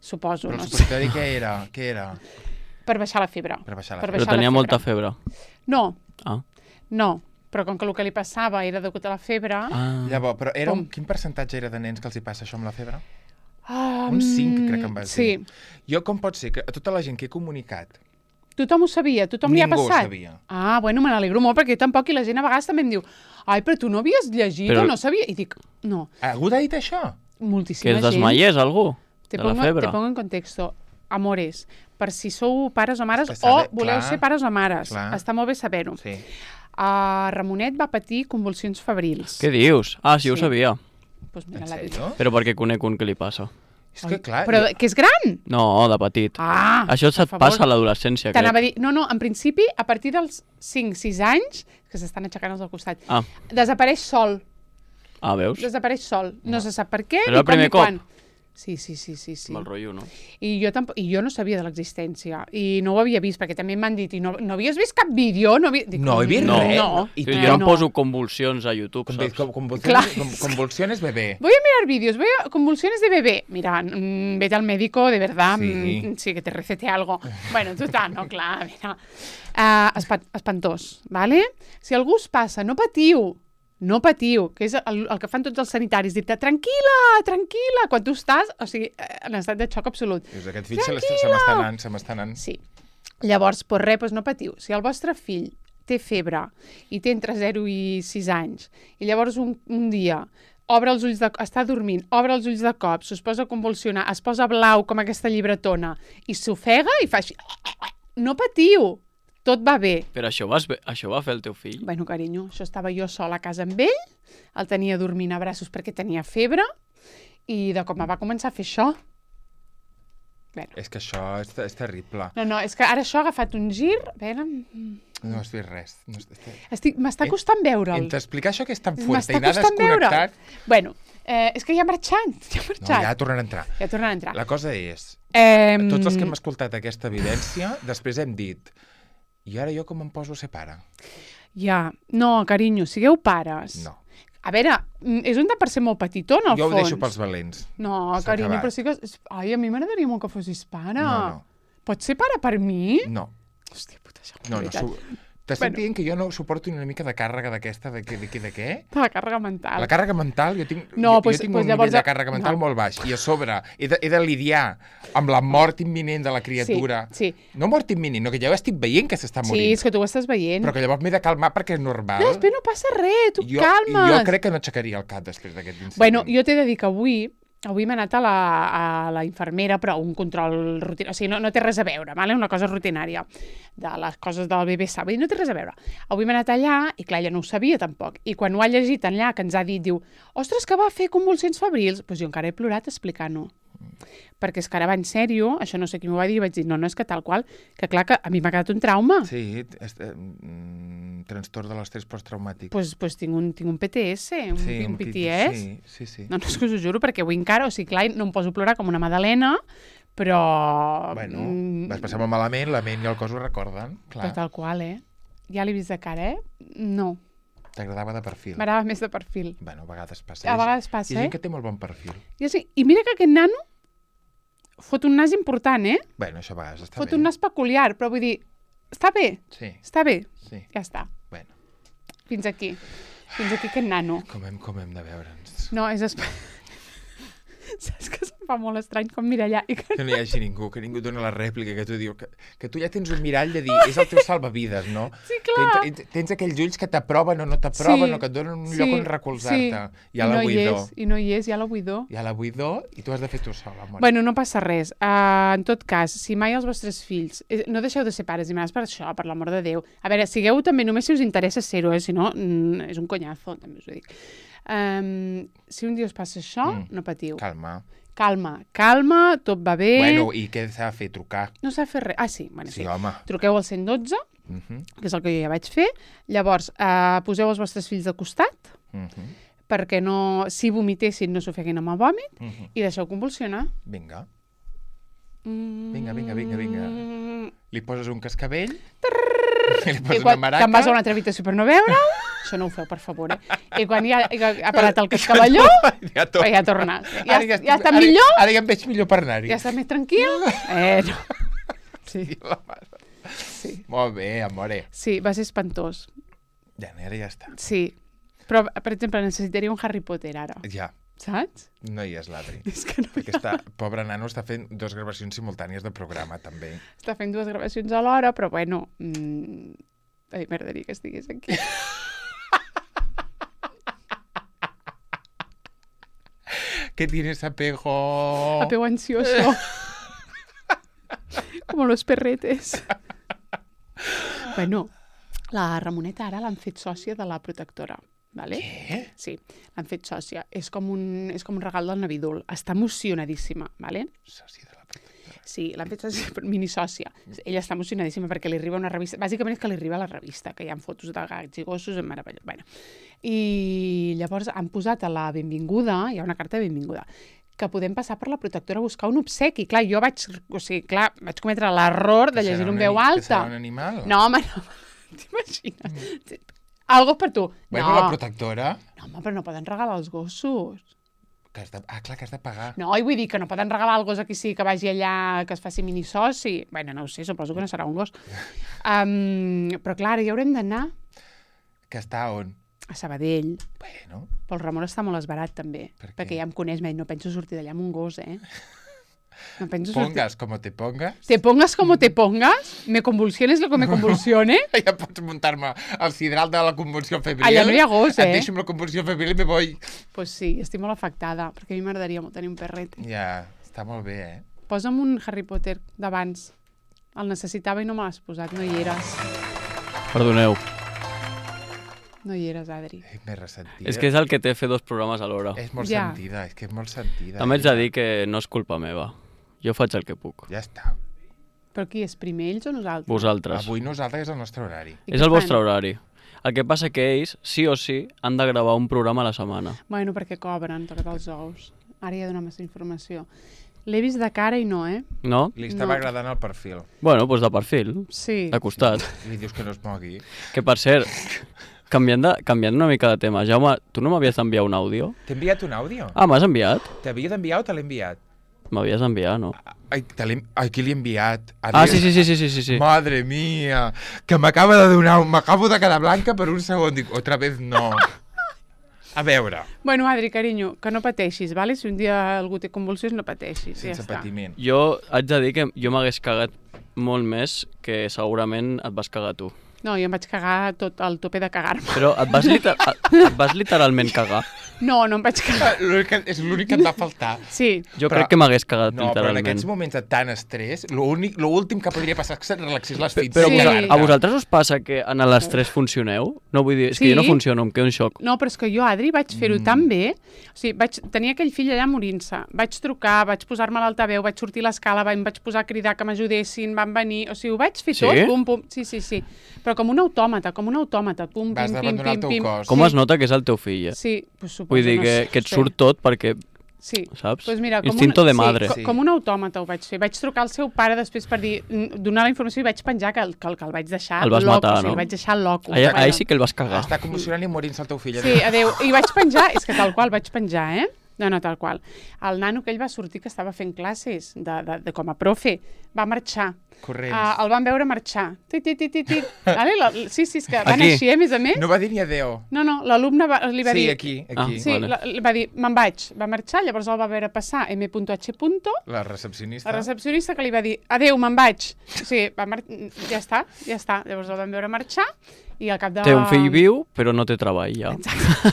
Suposo, no sé. Però el supositori què era? Per baixar la febre. Però tenia molta febre? No. No. Però com que el que li passava era degut a la febre... Llavors, però quin percentatge era de nens que els hi passa això amb la febre? Un 5, crec que em vas dir. Sí. Jo, com pot ser que a tota la gent que he comunicat... Tothom ho sabia? Tothom li ha passat? Ningú ho sabia. Bueno, me n'alegro molt, perquè jo tampoc, i la gent a vegades també em diu però tu no havies llegit o no sabia? I dic, no. Algú t'ha dit això? Moltíssima gent. Que es desmaiés, algú? De la febre? Te pongo en contexto. Amores, per si sou pares o mares o voleu ser pares o mares. Està molt bé saber-ho. Sí. Ramonet va patir convulsions febrils. Què dius? Sí, ho sabia. Pues mira, en sèrio? Però perquè conec un que li passa. És que clar... Però que és gran? No, de petit. Això se't passa a l'adolescència, crec. T'anava a dir... No, en principi, a partir dels 5-6 anys, que s'estan aixecant els del costat, desapareix sol. Veus? Desapareix sol. No se sap per què, ni com ni quan. Sí. Mal rotllo, no? I jo no sabia de l'existència. I no ho havia vist, perquè també m'han dit, no havies vist cap vídeo? No he vist res. No. Jo em poso convulsions a YouTube, saps? Convulsiones bebé. Voy a mirar vídeos, convulsiones de bebé. Mira, vete al médico, de verdad, sí, que te recete algo. Bueno, total, no, clar, mira. Espantós, ¿vale? Si algú us passa, no patiu, que és el que fan tots els sanitaris, dir-te, tranquil·la, quan tu estàs, o sigui, en estat de xoc absolut. Aquest fill se m'està anant. Sí. Llavors, no patiu. Si el vostre fill té febre i té entre 0 i 6 anys, i llavors un dia està dormint, obre els ulls de cop, es posa a convulsionar, es posa blau com aquesta llibretona, i s'ofega i fa així, no patiu. Tot va bé. Però això va fer el teu fill? Bueno, carinyo, això estava jo sola a casa amb ell, el tenia dormint a braços perquè tenia febre, i de cop va començar a fer això. Bueno. És que això és terrible. No, és que ara això ha agafat un gir... No has vist res. M'està costant veure'l. T'explicar això que és tan fort i anar desconnectat... Bueno, és que ja ha marxat. No, ja tornarà a entrar. La cosa és, tots els que hem escoltat aquesta evidència, després hem dit... I ara jo com em poso a ser pare? Ja, no, carinyo, sigueu pares. No. A veure, és un per ser molt petitó, en el fons. Jo ho deixo pels valents. No, carinyo, però sí que... Ai, a mi m'agradaria molt que fossis pare. No. Pots ser pare per mi? No. Hòstia puta, això No. T'estic dient que jo no suporto una mica de càrrega d'aquesta, de què? De la càrrega mental. La càrrega mental, jo tinc un nivell de càrrega mental molt baix. I a sobre he de lidiar amb la mort imminent de la criatura. Sí. No mort imminent, no, que ja ho estic veient que s'està morint. Sí, és que tu ho estàs veient. Però que llavors m'he de calmar perquè és normal. No, després no passa res, tu calmes. Jo crec que no aixecaria el cap després d'aquest incident. Bueno, jo t'he de dir que avui m'he anat a la infermera, però un control rutinari, o sigui, no té res a veure, vale? Una cosa rutinària de les coses del bebè sa, vull dir, no té res a veure. Avui m'he anat allà, i clar, ella no ho sabia tampoc, i quan ho ha llegit allà, que ens ha dit, diu, ostres, que va fer convulsions febrils, doncs jo encara he plorat explicant-ho. Perquè és que ara va en sèrio, això no sé qui m'ho va dir, i vaig dir, no, és que tal qual, que clar, que a mi m'ha quedat un trauma. Sí, trastorn de l'estrès posttraumàtic. Pues tinc un PTS, un PTS. Sí. No, és que us ho juro, perquè avui encara, o sigui, clar, no em poso a plorar com una madalena, però... Bueno, vas passar molt malament, la ment i el cos ho recorden, clar. Però tal qual, Ja l'he vist de cara, No. T'agradava de perfil? M'agradava més de perfil. Bueno, a vegades passa. A vegades passa, Hi ha gent que té molt bon perfil. I mira que aquest nano fot un nas important, Bueno, això a vegades està bé. Fot un nas peculiar, però vull dir, està bé. Sí. Està bé. Sí. Ja està. Bueno. Fins aquí aquest nano. Com hem de veure'ns. No, és... Saps que fa molt estrany com mirar allà. Que no hi hagi ningú, que ningú doni la rèplica, que tu diu que tu ja tens un mirall de dir, és el teu salvavides, no? Sí, clar. Tens aquells ulls que t'aproven o no t'aproven o que et donen un lloc on recolzar-te. Hi ha la buidor. I no hi és, hi ha la buidor. Hi ha la buidor i tu has de fer tu sol, amor. Bueno, no passa res. En tot cas, si mai els vostres fills... No deixeu de ser pares i mares per això, per l'amor de Déu. A veure, sigueu també només si us interessa ser-ho, si no, és un conyazo, també us ho dic. Si un dia us passa això, no patiu. Calma, tot va bé. Bueno, i què s'ha de fer? Trucar? No s'ha de fer res. Ah, sí, bueno, sí. Home. Truqueu al 112, que és el que jo ja vaig fer. Llavors, poseu els vostres fills de costat, perquè no, si vomitessin no s'ofeguin amb el vòmit, i deixeu convulsionar. Vinga. Vinga. Li poses un cascabell, li poses una maraca... Te'n vas a una altra habitació per no veure-ho. Això no ho feu, per favor, I quan ja ha parat el cascavelló, ja torna. Ja està millor? Ara ja em veig millor per anar-hi. Ja estàs més tranquil? No. Sí. Molt bé, amore. Sí, va ser espantós. Ja, ara ja està. Sí. Però, per exemple, necessitaria un Harry Potter ara. Ja. Saps? No hi és l'Adri. És que no Aquesta pobra nano està fent 2 gravacions simultànies de programa, també. Està fent 2 gravacions a l'hora, però bueno... A mi m'agradaria que estigués aquí. ¿Qué tienes apego? Apego ansioso. Como los perretes. Bueno, la Ramoneta ara l'han fet sòcia de la protectora. Vale? Què? Sí, l'han fet sòcia. És com un regal del Navidul. Està emocionadíssima, vale? Sòcia de la protectora. Sí, l'han fet sòcia, minisòcia. Ella està emocionadíssima perquè li arriba una revista. Bàsicament és que li arriba la revista, que hi ha fotos de gats i gossos, meravellós. Bueno. I llavors han posat a la benvinguda, hi ha una carta de benvinguda, que podem passar per la protectora a buscar un obsequi. Clar, jo vaig cometre l'error de llegir en veu alta. Que serà un animal? No, home, no. T'imagines? Algo per tu. Bueno, la protectora... No, home, però no poden regalar els gossos. Clar, que has de pagar. No, i vull dir que no poden regalar el gos aquí sí, que vagi allà, que es faci minisoci. Bueno, no ho sé, suposo que no serà un gos. Però clar, ja haurem d'anar. Que està on? A Sabadell. Bueno. Però el Ramon està molt esbarat, també. Perquè ja em coneix, no penso sortir d'allà amb un gos, No penso pongas como te pongas. Te pongas como te pongas, me convulsiones lo que me convulsione. Ja pots muntar-me al sidral de la convulsió febril. Allà no hi ha gos, Et deixo amb la convulsió febril i me voy. Pues sí, estic molt afectada, perquè a mi m'agradaria molt tenir un perret. Ja, està molt bé, Posa'm un Harry Potter d'abans. El necessitava i no me l'has posat, no hi eres. Perdoneu. No hi eres, Adri. M'he ressentit. És que és el que té fer 2 programes a l'hora. És molt sentida, és que és molt sentida. També ets de dir que no és culpa meva. Jo faig el que puc. Ja està. Però qui és, primer ells o nosaltres? Vosaltres. Avui nosaltres és el nostre horari. És el vostre horari. El que passa que ells, sí o sí, han de gravar un programa a la setmana. Bueno, perquè cobren, tocat els ous. Ara ja donem més informació. L'he vist de cara i no, No? Li estava agradant el perfil. Bueno, doncs de perfil. Sí. De costat. Li dius que no es mogui. Que per cert, canviant una mica de tema, Jaume, tu no m'havies d'enviar un àudio? T'he enviat un àudio? Ah, m'has enviat? T'havia d'enviar o te l'he enviat? M'havies d'enviar, no? Ai, qui l'he enviat? Sí. Madre mía, que m'acabo de quedar blanca per un segon. Dic, otra vez no. A veure. Bueno, Adri, carinyo, que no pateixis, vale? Si un dia algú té convulsions, no pateixis. Sense patiment. Jo haig de dir que jo m'hagués cagat molt més que segurament et vas cagar tu. No, jo em vaig cagar tot al tope de cagar-me. Però et vas literalment cagar? No, no em vaig cagar. És l'únic que et va faltar. Sí. Jo crec que m'hagués cagat literalment. No, però en aquests moments de tant estrès, l'últim que podria passar és que se't relaxés les fitxes. Però a vosaltres us passa que en l'estrès funcioneu? No, vull dir, és que jo no funciono, em quedo en xoc. No, però és que jo, Adri, vaig fer-ho tan bé. O sigui, vaig tenir aquell fill allà morint-se. Vaig trucar, vaig posar-me a l'altaveu, vaig sortir a l'escala, em vaig posar a cridar que m'ajudessin, van venir... O sigui, ho vaig fer tot, pum, pum. Sí. Però com un autòmata, pum, pim, vas d'abandonar el teu cos. Com es nota que és el teu fill, Sí, pues suposo. Vull dir que et surt tot perquè... Sí. Saps? Pues mira, Instinto de madre. Sí, com un autòmata ho vaig fer. Vaig trucar al seu pare després per dir, donar la informació i vaig penjar que el vaig deixar el vas matar, no? El vaig deixar loco. Ahí sí que el vas cagar. Està convulsionant i morint-se el teu fill. Sí, adéu. I vaig penjar, és que tal qual vaig penjar, No, tal qual. El nano que ell va sortir, que estava fent classes de com a profe, va marxar. Corrents. El van veure marxar. Vale? Sí, és que van així, a més a més. No va dir ni adéu. No, l'alumne li va dir... Sí, aquí. Sí, vale. Va dir, me'n vaig. Va marxar, llavors el va veure passar M.H. La recepcionista. La recepcionista que li va dir, adéu, me'n vaig. Sí, ja està. Llavors el van veure marxar i al cap de... Té un fill viu, però no té treball, ja. Exacte.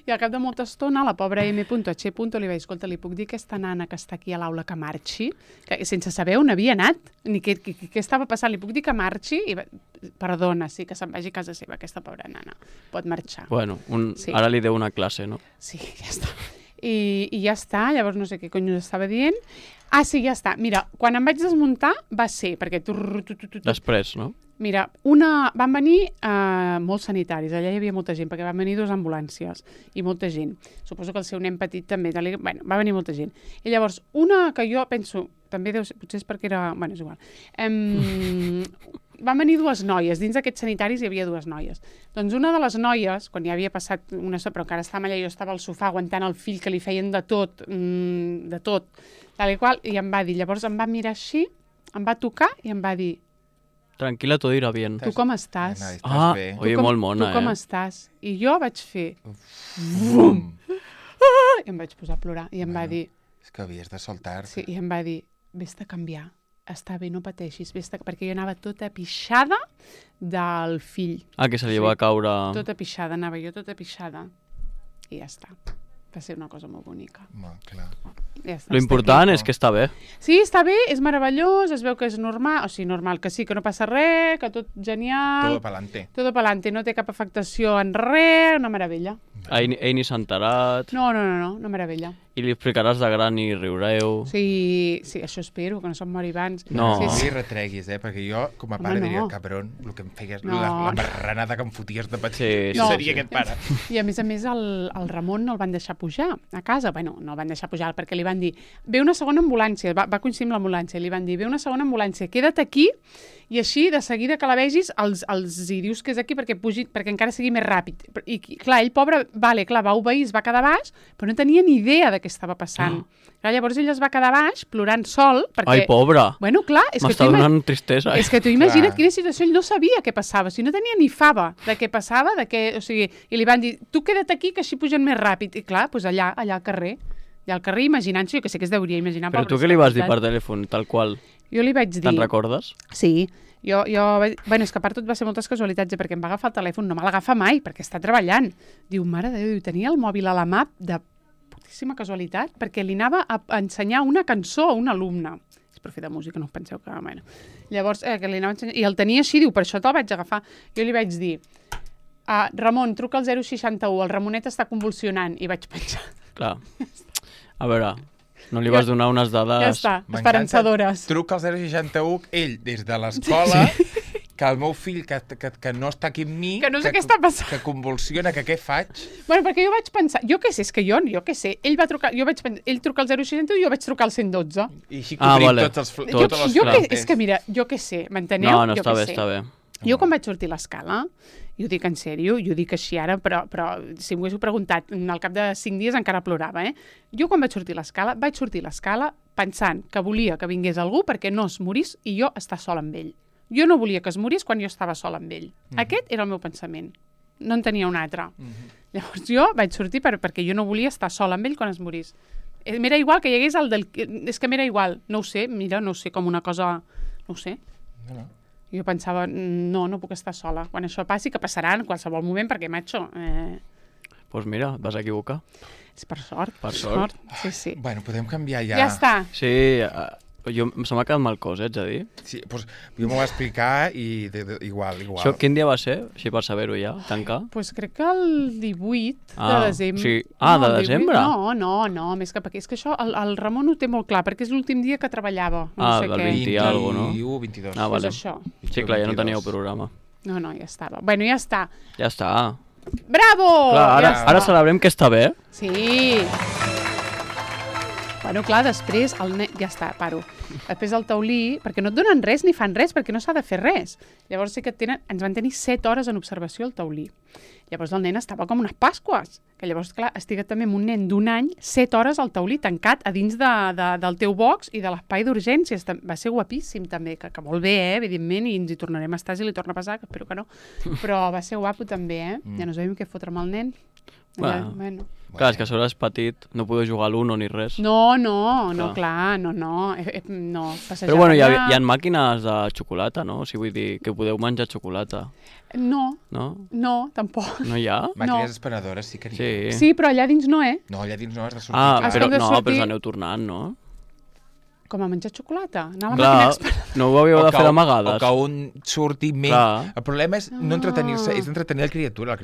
I al cap de molta estona, la pobra M.H. li va dir, escolta, li puc dir a aquesta nana que està aquí a l'aula que marxi? Que, sense saber on havia anat, ni què estava passant, li puc dir que marxi? I perdona, sí, que se'n vagi a casa seva, aquesta pobra nana. Pot marxar. Bueno, ara li deu una classe, no? Sí, ja està. I ja està, llavors no sé què cony estava dient. Ah, sí, ja està. Mira, quan em vaig desmuntar va ser, perquè... Després, no? Mira, van venir molts sanitaris, allà hi havia molta gent, perquè van venir 2 ambulàncies i molta gent. Suposo que el seu nen petit també, bueno, va venir molta gent. I llavors, una que jo penso, també deu ser, potser és perquè era... Bueno, és igual. Van venir 2 noies, dins d'aquests sanitaris hi havia 2 noies. Doncs una de les noies, quan ja havia passat una estona, però encara estàvem allà, jo estava al sofà aguantant el fill que li feien de tot, tal i qual, i em va dir, llavors em va mirar així, em va tocar i em va dir, tranquil·la, todo irá bien. Tu com estàs? Oye, molt mona, Tu com estàs? I jo vaig fer... Bum! I em vaig posar a plorar. I em va dir... És que havies de soltar-te. Sí, i em va dir, vés-te a canviar. Està bé, no pateixis. Perquè jo anava tota pixada del fill. Que se li va caure... Tota pixada, anava jo tota pixada. I ja està. Va ser una cosa molt bonica. Clar. Ja està, lo important és que està bé. Sí, està bé, és meravellós, es veu que és normal, o sigui, normal, que sí, que no passa res, que tot genial. Todo pa'lante. Todo pa'lante, no té cap afectació en res, una meravella. Ell ni s'ha enterat. No, una meravella. I li explicaràs de gran i riureu. Sí, això espero, que no se'n mori abans. No. No li retreguis, perquè jo, com a pare, diria, cabron, el que em feies, la marranada que em foties de petit, jo seria aquest pare. I a més, el Ramon no el van deixar pujar a casa. Bueno, no el van deixar pujar perquè li van dir, ve una segona ambulància, va coincidir amb l'ambulància, li van dir, ve una segona ambulància, queda't aquí, i així, de seguida que la vegis, els hi dius que és aquí perquè encara sigui més ràpid. I clar, ell, pobre, va obeir, es va quedar baix, però no tenia ni idea de què estava passant. Clar, llavors ell es va quedar baix, plorant sol, perquè... Ai, pobre! Bueno, clar, m'està donant tristesa. És que tu imagina't quina situació, ell no sabia què passava, o sigui, no tenia ni fava de què passava, o sigui, i li van dir, tu queda't aquí que així pugen més ràpid. I clar, doncs allà al carrer, imaginant-se, jo que sé que es deuria imaginar... Però tu què li vas dir per telèfon, tal qual? Jo li vaig dir... Te'n recordes? Sí. Bueno, és que a part tot va ser moltes casualitats, perquè em va agafar el telèfon, no me l'agafa mai, perquè està treballant. Diu, mare de Déu, tenia el mòbil a la mà de putíssima casualitat, perquè li anava a ensenyar una cançó a un alumne. És profe de música, no us penseu que... Bueno. Llavors, que li anava a ensenyar... I el tenia així, diu, per això te'l vaig agafar. Jo li vaig dir, Ramon, truca al 061, el Ramonet està convulsionant, i vaig penjar. Clar. A veure... No li vas donar unes dades... Ja està, esperançadores. Truca al 061, ell, des de l'escola, que el meu fill, que no està aquí amb mi... Que no sé què està passant. Que convulsiona, que què faig? Bueno, perquè jo vaig pensar... Jo què sé, és que jo què sé. Ell va trucar... Ell truca al 061 i jo vaig trucar al 112. I així cobrim tots els És que mira, jo què sé, m'enteneu? No, està bé. Jo quan vaig sortir a l'escala, i ho dic en sèrio, i ho dic així ara, però si m'ho haguéssiu preguntat, al cap de 5 dies encara plorava, Jo quan vaig sortir a l'escala pensant que volia que vingués algú perquè no es morís i jo estar sola amb ell. Jo no volia que es morís quan jo estava sola amb ell. Aquest era el meu pensament. No en tenia un altre. Llavors jo vaig sortir perquè jo no volia estar sola amb ell quan es morís. M'era igual que hi hagués el del... És que m'era igual. No ho sé, mira, no ho sé, com una cosa... No ho sé. No. Jo pensava, no puc estar sola. Quan això passi, que passarà en qualsevol moment, perquè, macho... Doncs mira, et vas equivocar. És per sort. Per sort. Sí. Bueno, podem canviar ja. Ja està. Sí, se m'ha quedat mal cos, ets a dir? Sí, doncs jo m'ho va explicar i igual. Això quin dia va ser? Així per saber-ho ja, tancar? Doncs crec que el 18 de desembre. Sí. De desembre? No, més que perquè és que això el Ramon ho té molt clar, perquè és l'últim dia que treballava. Del 20 i alguna cosa, no? 21, 22. Vale. És això. Sí, clar, ja no teníeu programa. No, ja estava. Bueno, ja està. Ja està. Bravo! Clar, ara celebrem que està bé. Sí. Bueno, clar, després ja està, paro. Després el taulí, perquè no et donen res ni fan res, perquè no s'ha de fer res. Llavors sí que ens van tenir 7 hores en observació al taulí. Llavors el nen estava com unes pasques, que llavors, clar, estic també amb un nen d'1 any, 7 hores al taulí, tancat a dins del teu box i de l'espai d'urgències. Va ser guapíssim, també, que molt bé, evidentment, i ens hi tornarem a estar si li torna a passar, que espero que no. Però va ser guapo, també, Ja no sabem què fotre amb el nen. Bueno. Clar, és que a sobre és petit, no podeu jugar a l'Uno ni res. No, clar, no. Però bueno, hi ha màquines de xocolata, no? O sigui, vull dir, que podeu menjar xocolata. No, tampoc. No hi ha? Màquines esperadores sí que n'hi ha. Sí, però allà dins no, No, allà dins no, has de sortir. Però us aneu tornant, no? Com a menjar xocolata? Clar, no ho havíeu de fer d'amagades. O que un surti més... El problema és no entretenir-se, és entretenir la criatura.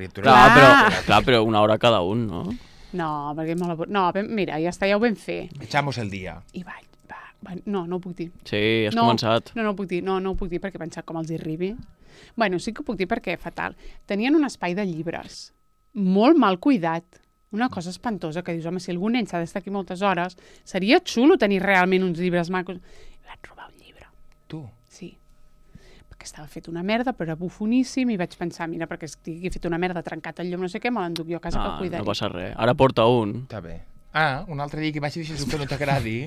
Clar, però una hora cada un, no? No, perquè és molt avorrit. No, mira, ja està, ja ho vam fer. Echamos el dia. I no ho puc dir. Sí, has començat. No ho puc dir, no ho puc dir perquè he pensat com els hi arribi. Bueno, sí que ho puc dir perquè fatal. Tenien un espai de llibres molt mal cuidat. Una cosa espantosa que dius, home, si algun nen s'ha d'estar aquí moltes hores, seria xulo tenir realment uns llibres macos. Vaig robar un llibre. Tu? Sí. Perquè estava fet una merda, però era bufoníssim, i vaig pensar, mira, perquè estigui fet una merda, trencat el llum, no sé què, me l'enduc jo a casa que el cuidaré. No passa res. Ara porta un. Està bé. Un altre dia que vagi i deixes un que no t'agradi...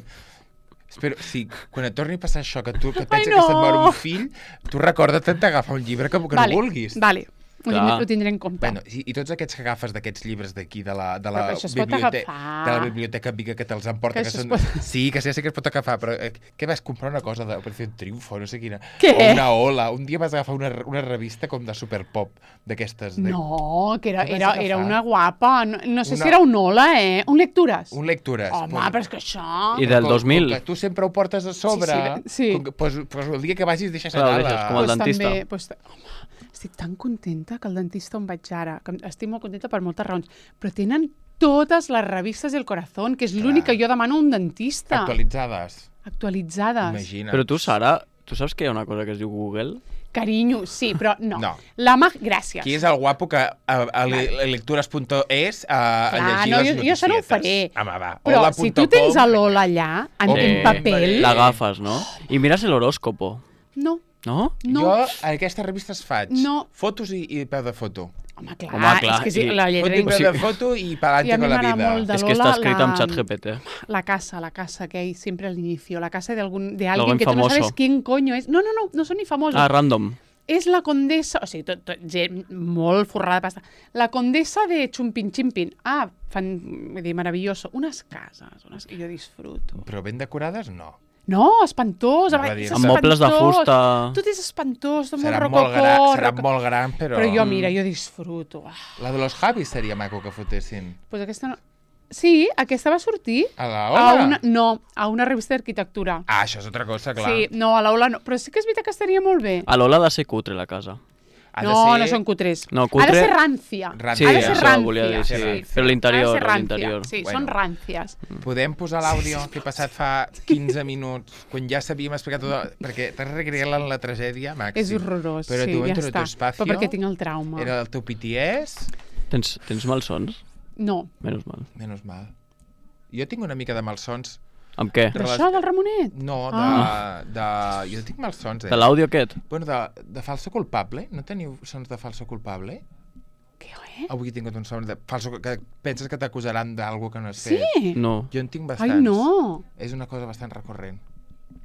Espero, sí, quan et torni a passar això, que pensa que se't mor un fill, tu recorda't d'agafar un llibre que no vulguis. Vale. Ho tindré en compte. Bueno, i tots aquests que agafes d'aquests llibres d'aquí, de la biblioteca Viga, que te'ls emporta, sí, que sí que es pot agafar, però què vas comprar una cosa per fer un triomfo, no sé quina, què? O una ola, un dia vas agafar una revista com de superpop, d'aquestes. No, que era una guapa, no sé si era un ola, un lectures. Un lectures. Home, però és que això... I del 2000. Que tu sempre ho portes a sobre, doncs el dia que vagis deixes anar. Com el dentista. Home, estic tan contenta que el dentista on vaig ara, que estic molt contenta per moltes raons, però tenen totes les revistes del Corazón, que és l'únic que jo demano a un dentista. Actualitzades. Imagina't. Però tu, Sara, tu saps que hi ha una cosa que es diu Google? Carinyo, sí, però no. Gràcies. Qui és el guapo que a lectures.es llegir les notícies? Jo això no ho faré. Home, va. Però si tu tens l'Ola allà, en paper... L'agafes, no? I mires l'horòscopo. No. No? Jo a aquestes revistes faig fotos i peu de foto. Home, clar. És que sí, la lletra... Peu de foto i pa'lante con la vida. És que està escrit amb ChatGPT. La casa que hay siempre al inicio. La casa de alguien que tú no sabes quién coño es. No son ni famosos. Random. És la condessa... O sigui, gent molt forrada de pasta. La condessa de Chumpin Chimpin. Vull dir, maravilloso. Unes cases, que jo disfruto. Però ben decorades, no. No, espantós. Amb mobles de fusta. Tot és espantós, molt rococó. Serà molt gran, però... Però jo disfruto. La de los Javis seria maco que fotessin. Pues aquesta no... Sí, aquesta va sortir. A l'Ola? A una revista d'arquitectura. Això és altra cosa, clar. Sí, no, a l'Ola no. Però sí que és veritat que estaria molt bé. A l'Ola ha de ser cutre, la casa. No són cutres. No, cutre... Ha de ser rància. Sí, ha de ser això volia dir, sí. Però l'interior. Sí, són ràncies. Podem posar l'àudio que he passat fa 15 minuts, quan ja s'havíem explicat tot, perquè t'has recreat en la tragèdia, Maxi. És horrorós, però sí, ja està. Però perquè tinc el trauma. Era el teu PTS. Tens malsons? No. Menys mal. Jo tinc una mica de malsons. Amb què? D'això, del Ramonet? No, jo tinc malsons, De l'àudio aquest? Bueno, de falso culpable. No teniu sons de falso culpable? Què? Avui he tingut un son de falso... que penses que t'acusaran d'algú que no has fet. Sí? No. Jo en tinc bastants. Ai, no. És una cosa bastant recurrent.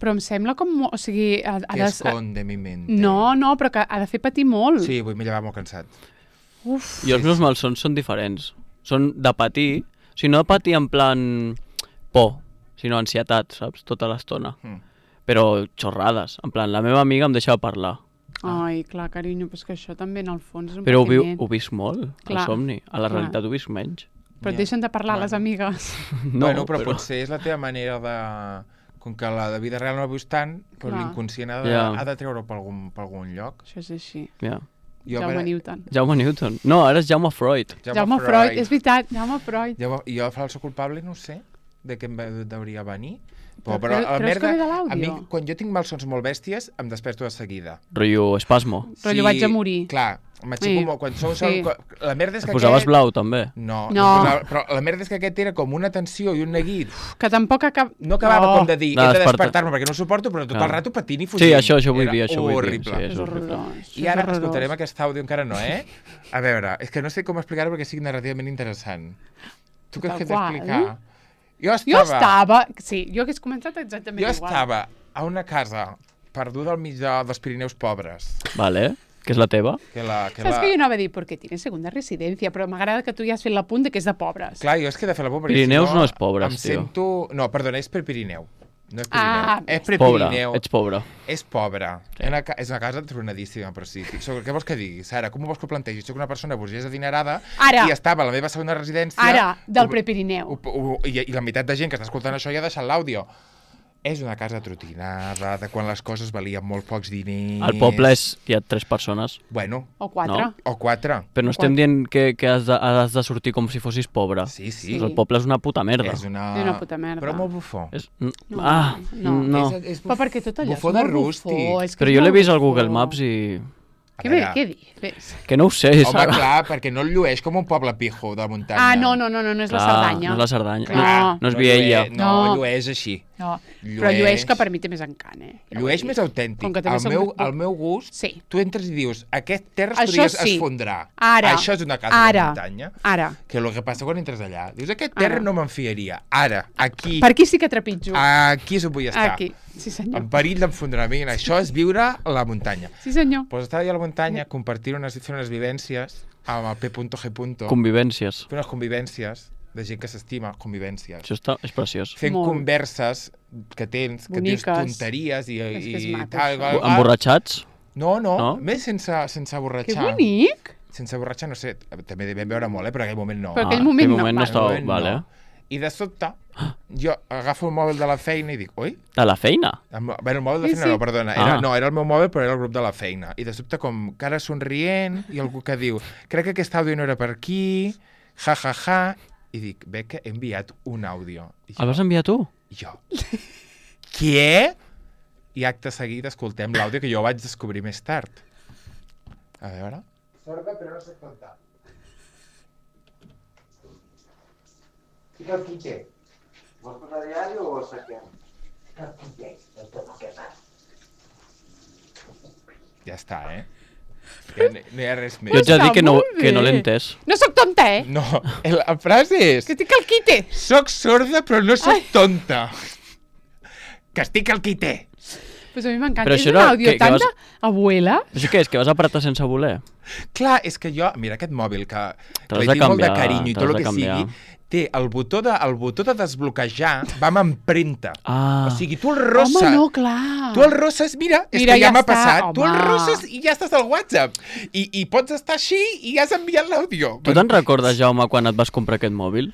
Però em sembla com... O sigui... Que esconde mi mente. No, però que ha de fer patir molt. Sí, avui m'he llevat molt cansat. Uf. I els meus malsons són diferents. Són de patir. O sigui, no de patir en plan por, sinó ansietat, saps? Tota l'estona. Però xorrades. En plan, la meva amiga em deixa parlar. Ai, clar, carinyo, però és que això també en el fons és un però patiment. ho visc molt, al somni. A la realitat ho visc menys. Però et deixen de parlar les amigues. No, però potser és la teva manera de... Com que la vida real no la vius tant, però l'inconscient ha de treure per algun lloc. Això és així. Jaume Newton. Jaume Newton. No, ara és Jaume Freud. Jaume Freud, és veritat, Jaume Freud. Jo el falso culpable no ho sé. de que em hauria venir. Però creus que ve de l'àudio? A mi, quan jo tinc malsons molt bèsties, em desperto de seguida. Rotllo espasmo. Rotllo vaig a morir. Clar, m'aixeco quan som... La merda és que posaves blau, també? No. No. Però la merda és que aquest era com una tensió i un neguit. Que tampoc No acabava com de dir, he de despertar-me perquè no ho suporto, però tot el rato patint i fugint. Sí, això vull dir, això horrible. Sí, és horrorós. I ara escoltarem aquest àudio, encara no, A veure, és que no sé com explicar-ho perquè sigui narrativament interessant. Tu creus que has d'explicar? Jo estava... Sí, jo hagués comentat exactament igual. Jo estava a una casa perduda al mig dels Pirineus pobres. Vale, que és la teva. Saps que jo anava a dir, perquè tienes segunda residencia, però m'agrada que tu ja has fet l'apunt que és de pobres. Clar, jo és que he de fer l'apunt... Pirineus no és pobres, tio. Em sento... No, perdona, és per Pirineu. No és Pirineu. És per Pirineu. Ets pobre. És pobre. Sí. És una casa tronadíssima, però sí. Què vols que digui, Sara? Com ho vols que ho plantegis? Soc una persona burgesa adinerada i estava a la meva segona residència... Ara, del Prepirineu. I la meitat de gent que està escoltant això ja ha deixat l'àudio. És una casa trotinada, de quan les coses valien molt pocs diners... Al poble hi ha 3 persones. Bueno. O 4. No? O 4. Però no estem dient que has de sortir com si fossis pobre. Sí. El poble és una puta merda. És una puta merda. Però molt bufó. No. Però perquè tot allò bufó de rústic. Però jo l'he vist al Google Maps i... Què dius? Que no ho sé, Home, clar, perquè no el llueix com un poble pijo de muntanya. No és la Cerdanya. No és la Cerdanya. Clar, no és Viella. No, llueix així. No, però llueix que per mi té més encant, Llueix més autèntic. Al meu gust, tu entres i dius, aquest terra es podria esfondrar. Això és una casa de muntanya. Ara. Que el que passa quan entres allà, dius, aquest terra no m'enfiaria. Ara, aquí. Per aquí sí que trepitjo. Aquí és on vull estar. Aquí, sí senyor. En perill d'enfondrament. Això és viure a la muntanya. Sí senyor. Pues estar allà a la muntanya, fer unes vivències amb el P.G. Convivències. Fer unes convivències de gent que s'estima, convivències. Això és preciós. Fent converses que tens, que dius tonteries i tal. Emborratxats? No, més sense borratxar. Que bonic! Sense borratxar, no sé, també devem veure molt, però en aquell moment no. Però en aquell moment no estava, vale. I de sobte, jo agafo el mòbil de la feina i dic, oi? De la feina? Bé, el mòbil de feina no, perdona. Era el meu mòbil, però era el grup de la feina. I de sobte, com cara somrient, i algú que diu, crec que aquest àudio no era per aquí, ja, i dic, que he enviat un àudio. El vas enviar tu? Jo. Què? I acte seguit escoltem l'àudio que jo vaig descobrir més tard. A veure. Sorda, però no sé contar. Fica el quitxer. Vols posar diari o vols saquem? Fica el quitxer. Ja està, Ja no hi ha res més. Jo ets a dir que no l'he entès. No sóc tonta, No, la frase és... Que estic al quite. Soc sorda, però no soc tonta. Que estic al quite. Pues a mi m'encanta. És un àudio tan d'abuela. Això què és? Que vas apretar sense voler? Clar, és que jo... Mira, aquest mòbil que li tinc molt de carinyo i tot el que sigui, té el botó de desbloquejar, va amb empremta. O sigui, tu el rosses... Home, no, clar. Tu el rosses, mira que ja m'ha passat. Tu el rosses i ja estàs al WhatsApp. I pots estar així i ja has enviat l'àudio. Tu te'n recordes, Jaume, quan et vas comprar aquest mòbil?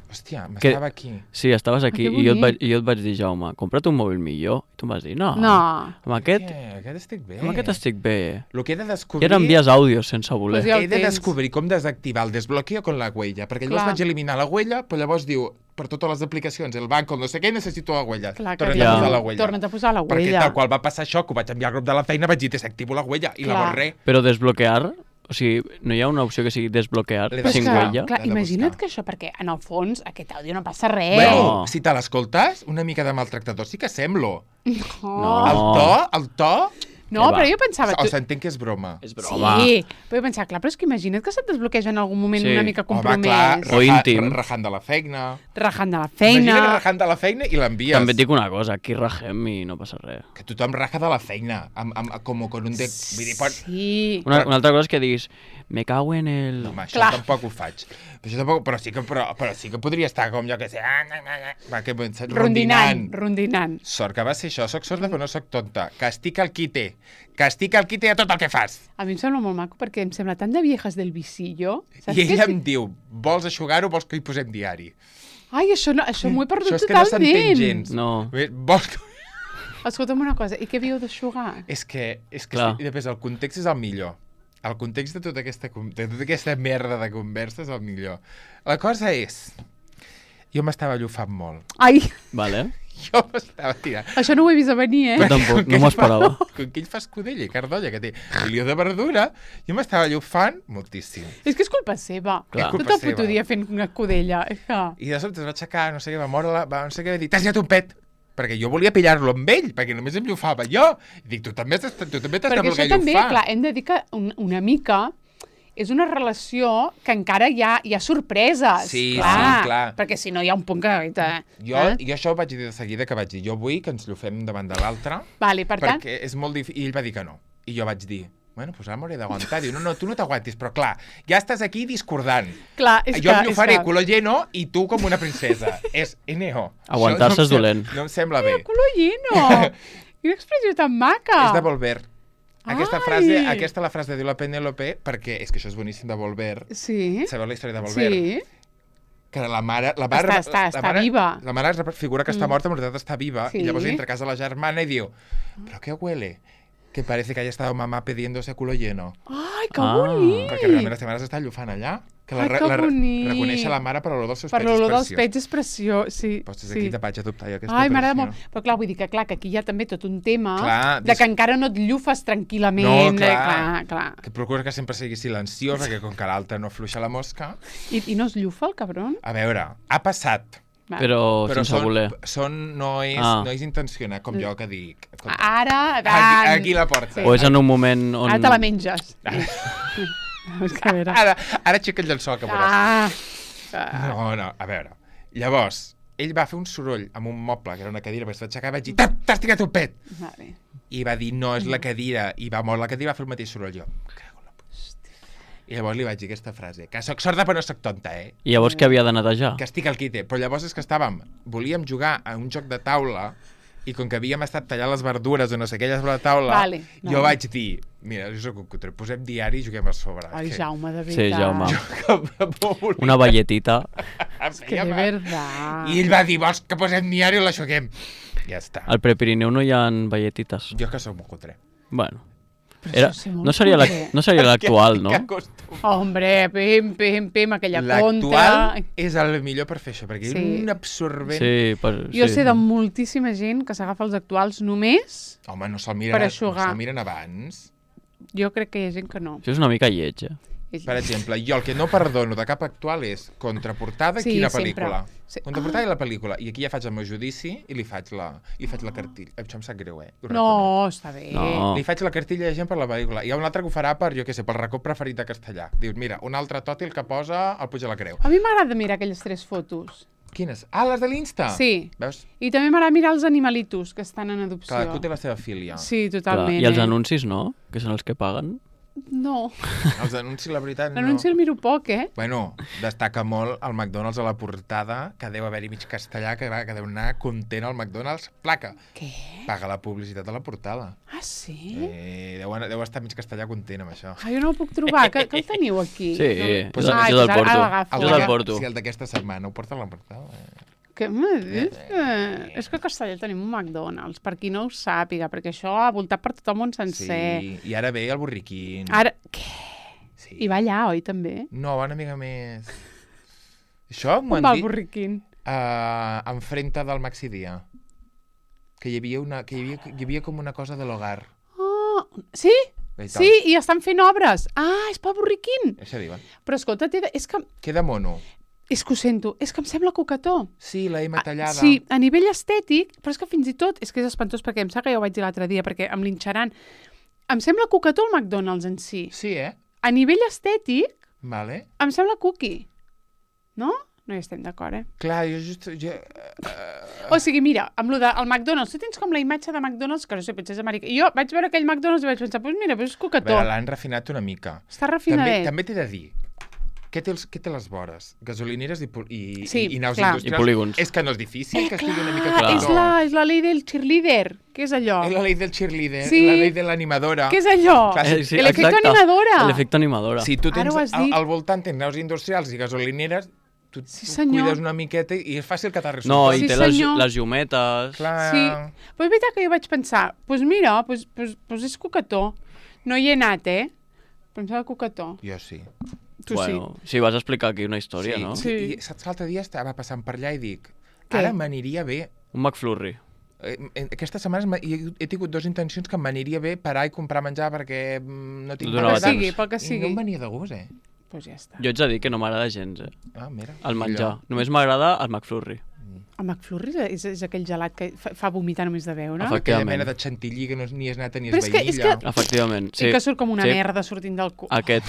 Hòstia, m'estava aquí. Sí, estaves aquí i jo et vaig dir, Jaume, compra't un mòbil millor. I tu em vas dir, no. Amb aquest estic bé. Amb aquest estic bé. Lo que he de descobrir... I ara envies àudios sense voler. He de descobrir com desactivar el desbloqueo con la huella, perquè llavors vaig eliminar la huella, però llavors diu, per totes les aplicacions, el banc, no sé què, necessito la huella. Torna't a posar la huella. Perquè tal qual va passar això, que ho vaig enviar al grup de la feina, vaig dir, desactivo la huella, i la borré. Però desbloquear... O sigui, no hi ha una opció que sigui desbloquear sin huella? Clar, imagina't que això, perquè en el fons aquest àudio no passa res. Bueno, si te l'escoltes, una mica de maltractador sí que semblo. No. El to... No, però jo pensava... O s'entén que és broma. És broma. Sí, però jo pensava, clar, però és que imagina't que se't desbloqueja en algun moment una mica compromès. Home, clar, o íntim. Rajant de la feina. Imagina't rajant de la feina i l'envies. També et dic una cosa, aquí rajem i no passa res. Que tothom raja de la feina, com un... Sí. Una altra cosa és que diguis, me cago en el... No, això tampoc ho faig. Però sí que podria estar com jo que sé... Rondinant. Sort que va ser això, soc sorda però no soc tonta. Que estic al quite. Que estic al quite a tot el que fas. A mi em sembla molt maco perquè em sembla tan de viejas del visillo. I ella em diu, vols eixugar-ho o vols que hi posem diari? Ai, això m'ho he perdut totalment. Això és que no s'entén gens. No. Vols que... Escolta'm una cosa, i què havíeu d'eixugar? És que després el context és el millor. El context de tota aquesta merda de conversa és el millor. La cosa és... jo m'estava llufant molt. Ai! Vale. Jo m'estava tirant. Això no ho he vist a venir, Jo tampoc, no m'ho esperava. Com que ell fa escudella i cardolla, que té milió de verdura, jo m'estava llufant moltíssim. És que és culpa seva. Clar. Tot el puto dia fent una escudella. I de sobte es va aixecar, no sé què, va moure, no sé què, va dir, t'has llevat un pet! Perquè jo volia pillar-lo amb ell, perquè només em llufava jo. I dic, tu també t'has de voler llufar. Perquè això també, clar, hem de dir que una mica és una relació que encara hi ha sorpreses. Sí, clar, clar. Perquè si no hi ha un punt que... Jo això ho vaig dir de seguida, que vaig dir, jo vull que ens llufem davant de l'altre, Vale, per tant... perquè és molt difícil. I ell va dir que no. I jo vaig dir, bueno, doncs ara m'hauré d'aguantar. Diu, no, tu no t'aguantis, però clar, ja estàs aquí discordant. Clar, és jo em llufaré culo lleno i tu com una princesa. És NO. Aguantar-se és dolent. No em sembla bé. Culo lleno! Quina expressió tan maca! És de Volver. Aquesta la frase diu la Penélope, perquè és que això és boníssim de Volver. Sí. Sabeu la història de Volver? Sí. Que la mare... Està viva. La mare figura que està morta, en realitat està viva, Sí. i llavors entra a casa la germana i diu, ¿pero qué huele? Que parece que haya estado mamá pidiéndose culo lleno. Ai, que bonic! Perquè realment la seva mare s'està llufant allà. Que Ai, que bonic! Reconeix la mare per l'olor dels seus Per pets. l'olor dels pets és preciós, sí. Doncs des d'aquí te vaig adoptar jo aquesta Ai, m'agrada tradició. molt. Però clar, vull dir que aquí hi ha també tot un tema Clar, de que encara no et llufes tranquil·lament. No, clar. Clar. Que procura que sempre sigui silenciós, perquè com que l'altre no afluixa la mosca... I no es llufa, el cabron? A veure, ha passat. Va. Però sense voler. No és intencionat, com jo que dic. Ara, Aquí la porta. O és en un moment on... Ara te la menges. Ara aixeca el llençol, que veuràs. No, a veure. Llavors, ell va fer un soroll amb un moble, que era una cadira, perquè es va aixecar i vaig dir, t'has tirat un pet! Vale. I va dir, no, és la cadira. I va moure la cadira i va fer el mateix soroll. Jo, cago en la puta. I llavors li vaig dir aquesta frase, que soc sorda però no soc tonta, I llavors què havia de netejar? que estic al quite. Però llavors és que volíem jugar a un joc de taula i com que havíem estat tallant les verdures o no sé què allà sobre la taula, jo vaig dir, mira, jo soc un cutre, posem diari i juguem a sobre. Ai, Jaume, de veritat. Sí, Jaume. Jo, Una balletita. És que de veritat. I ell va dir, vols que posem diari o l'aixuguem? Ja està. Al Prepirineu no hi ha velletites. Jo que soc molt cutre. Bueno. Era... No seria l'actual, no? Hombre, pim, aquella conta... L'actual és el millor per fer això, perquè és un absorbent... Jo sé de moltíssima gent que s'agafa els actuals només Home, no se'l miren abans. Jo crec que hi ha gent que no. Això és una mica lleig, Per exemple, jo el que no perdono de cap actual és contraportada i quina pel·lícula. Contraportada i la pel·lícula. I aquí ja faig el meu judici i li faig la cartilla. Això em sap greu, No, està bé. No. Li faig la cartilla a gent per la pel·lícula. Hi ha un altre que ho farà per, jo què sé, pel racó preferit de castellà. Diu, mira, un altre tòtil que posa el Puig de la Creu. A mi m'agrada mirar aquelles 3 fotos. Quines? Ah, les de l'Insta? Sí. Veus? I també m'agrada mirar els animalitos que estan en adopció. Cadascú té la seva filia. Sí, totalment. I els anuncis, no? Que són els que paguen. No. Els anuncis, la veritat, no. L'anunci el miro poc, Bueno, destaca molt el McDonald's a la portada, que deu haver-hi mig castellà, que deu anar content al McDonald's. Placa. Què? Paga la publicitat a la portada. Ah, sí? Deu estar mig castellà content amb això. Ah, jo no el puc trobar. Que el teniu aquí? Sí, Pues, jo te'l porto. Sí, el d'aquesta setmana ho porta a la portada. Què m'ha dit? És que a Castellà tenim un McDonald's, per qui no ho sàpiga, perquè això ha voltat per tot el món sencer. Sí, i ara ve el Borriquín. Ara, què? Sí. I va allà, oi, també? No, va una mica més... Això m'ho On han va el dit Borriquín? enfrente del Maxi Dia. Que hi havia com una cosa de l'hogar. Oh, sí? Sí, i estan fent obres. Ah, és pel Borriquín. Això diuen. Però escolta, és que... Queda mono. És que ho sento, és que em sembla coquetó. Sí, la M tallada. Sí, a nivell estètic, però és que fins i tot, és que és espantós perquè em sap que ja ho vaig dir l'altre dia, perquè em linxaran. Em sembla coquetó el McDonald's en si. Sí, A nivell estètic, Vale. em sembla cookie. No? No hi estem d'acord, Clar, jo... O sigui, mira, amb lo del McDonald's, tu tens com la imatge de McDonald's, que no sé, potser és americà. I jo vaig veure aquell McDonald's i vaig pensar, doncs mira, és coquetó. A veure, l'han refinat una mica. Està refinadet. També t'he de dir, què té les vores? Gasolineres i naus clar. industrials. I polígons. És que no és difícil que estigui una mica Clar, coquetó. és la llei del cheerleader. Què és allò? És la llei del cheerleader, Sí. la llei de l'animadora. Què és allò? Clar, Sí, L'efecte exacte. animadora. L'efecte animadora. Si tu Ara tens ho has dit. al voltant tens naus industrials i gasolineres, tu senyor. cuides una miqueta i és fàcil que t'arribi. No, i Sí, té senyor. les llumetes. Clar. Sí, però és veritat que jo vaig pensar, doncs mira, doncs és coquetó. No hi he anat, però em sembla coquetó. Jo sí. Bueno, sí, vas explicar aquí una història, no? Sí, i saps, l'altre dia estava passant per allà i dic, ara m'aniria bé... Un McFlurry. Aquestes setmanes he tingut 2 intencions que m'aniria bé parar i comprar menjar perquè no tinc pel que sigui. I no em venia de gust, Pues ja està. Jo ets a dir que no m'agrada gens, Ah, mira. El menjar. Només m'agrada el McFlurry. El McFlurry és aquell gelat que fa vomitar només de veure? Aquella mena de chantilly que ni és nata ni és vainilla. Efectivament, sí. I que surt com una merda sortint del cul. Aquest.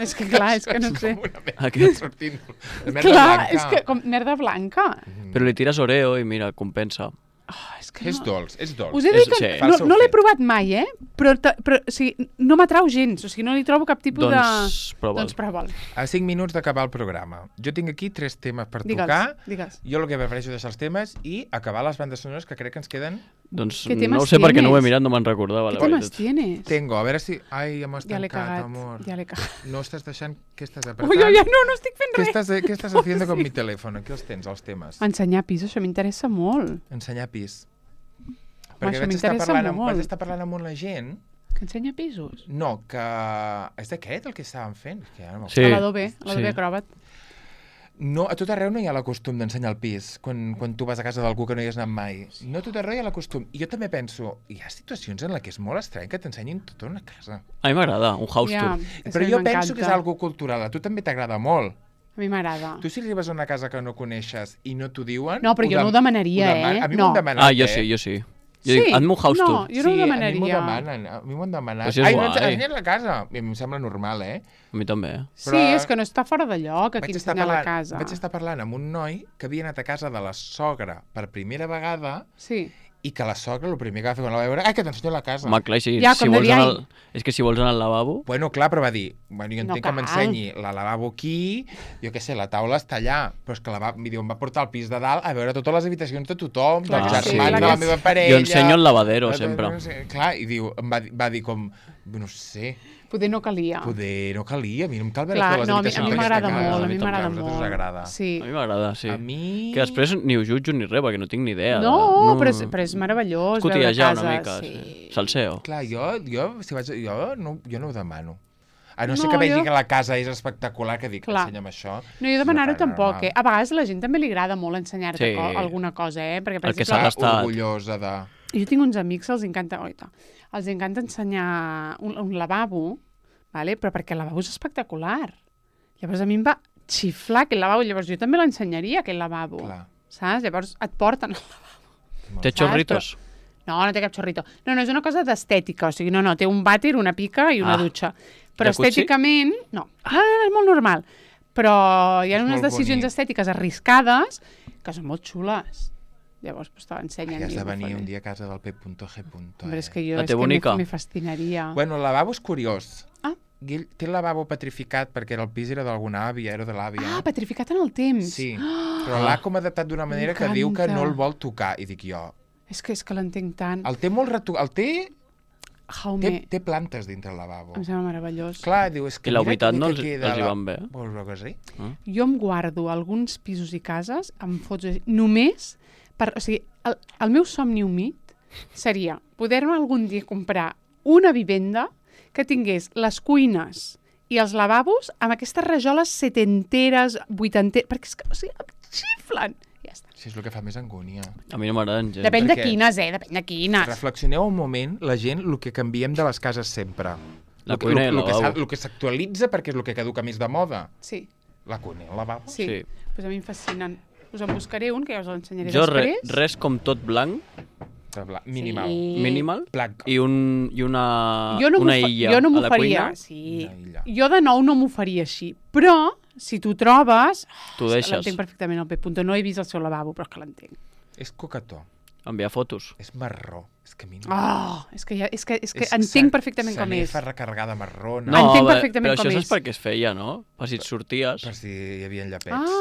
És que clar, és que no sé. Aquest. Sortint de merda clar, blanca. És que com merda blanca. Però li tires Oreo i mira, compensa. És dolç, és dolç. Us he dit que no l'he provat mai, però o sigui, no m'atrau gens, o sigui, no li trobo cap tipus de... Doncs prova'l. A 5 minuts d'acabar el programa. Jo tinc aquí 3 temes per tocar. Digues. Jo el que prefereixo deixar els temes i acabar les bandes sonores que crec que ens queden... Doncs no ho sé perquè no ho he mirat, no me'n recordava. Què temes tienes? Tengo, a veure si... Ai, ja m'ho has tancat, amor. Ja l'he cagat. No estàs deixant... Què estàs apretant? Ui, no estic fent res. Què estàs haciendo con mi telèfon? Aquí els tens, els temes. Ensenyar pis, això m'interessa molt. Ensenyar pis. Perquè vaig estar parlant amb la gent... Que ensenya pisos? No, que... És d'aquest el que estàvem fent? Sí. L'Adobe Acrobat. No, a tot arreu no hi ha la costum d'ensenyar el pis, quan tu vas a casa d'algú que no hi has anat mai. No a tot arreu hi ha la costum. I jo també penso, hi ha situacions en què és molt estrany que t'ensenyin tota una casa. A mi m'agrada, un house tour. Però jo penso que és algo cultural. A tu també t'agrada molt. A mi m'agrada. Tu si arribes a una casa que no coneixes i no t'ho diuen... No, però jo no ho demanaria, A mi m'ho han demanat, jo sí. Jo dic, em un house tour. No, jo no ho demanaria. A mi m'ho han demanat. Però Ai, no ens ensenyen la casa. I a mi em sembla normal, A mi també. Sí, és que no està fora de lloc aquí ensenyar la casa. Vaig estar parlant amb un noi que havia anat a casa de la sogra per primera vegada i que la sogra el primer que va fer quan la va veure, ai, que t'ensenyo la casa. Home, clar, sí. És que si vols anar al lavabo... Bueno, clar, però va dir, jo entenc que m'ensenyi la lavabo aquí, jo què sé, la taula està allà, però és que em va portar al pis de dalt a veure totes les habitacions de tothom, dels germans de la meva parella... Jo ensenyo el lavadero, sempre. Clar, i diu, va dir com, no sé... Poder no calia. A mi no em cal veure totes les habitacions. A mi m'agrada molt, a mi m'agrada molt. Sí. A mi m'agrada, sí. A mi... Que després ni ho jutjo ni res, perquè no tinc ni idea. No, però és meravellós veure cases. Una mica, sí. Salseo. Clar, jo no ho demano. A no ser que vegi que la casa és espectacular, que dic, ensenya'm això. No, jo demanar-ho tampoc, A vegades a la gent també li agrada molt ensenyar-te alguna cosa, Perquè, per exemple, orgullosa de... Jo tinc uns amics, els encanta ensenyar un lavabo, però perquè el lavabo és espectacular. Llavors a mi em va xiflar aquell lavabo, llavors jo també l'ensenyaria, aquell lavabo. Saps? Llavors et porten al lavabo. Té xorritos? No té cap xorrito. No, és una cosa d'estètica, o sigui, no, té un vàter, una pica i una dutxa. Però estèticament, no, és molt normal. Però hi ha unes decisions estètiques arriscades que són molt xules. Llavors, te l'ensenyen. Has de venir un dia a casa del P.G. Però és que jo me fascinaria. Bueno, el lavabo és curiós. Té el lavabo petrificat perquè el pis era d'alguna àvia, era de l'àvia. Petrificat en el temps. Sí, però l'ha com adaptat d'una manera que diu que no el vol tocar. I dic jo... És que l'entenc tant. El té molt retocat. Té plantes dintre el lavabo. Em sembla meravellós. Clar, diu, és que... I la veritat no els hi van bé. Vols veure que sí? Jo em guardo alguns pisos i cases amb fotos només per... O sigui, el meu somni humit seria poder-me algun dia comprar una vivenda que tingués les cuines i els lavabos amb aquestes rajoles setenteres, vuitanteres, perquè és que, o sigui, em xiflen. Ja està. Sí, és el que fa més angúnia. A mi no m'agraden gens. Depèn de quines, depèn de quines. Reflexioneu un moment, la gent, el que canviem de les cases sempre. La cuina i el lavabo. El que s'actualitza perquè és el que caduca més de moda. Sí. La cuina i el lavabo. Sí. Pues a mi em fascinen. Us en buscaré un, que ja us l'ensenyaré després. Jo res com tot blanc. Minimal. Sí. Minimal. Blanc. I una illa jo no a la cuina. Sí. Jo de nou no m'ho faria així. Però, si tu trobes... Tu deixes. L'entenc perfectament el P. No he vist el seu lavabo, però és que l'entenc. És coquetó. Enviar fotos. És marró. És que a mi no... És que entenc perfectament com és. Sanefa recarregada marrona. No, entenc perfectament com és. Però això és perquè es feia, no? Per si et sorties. Per si hi havia llapets.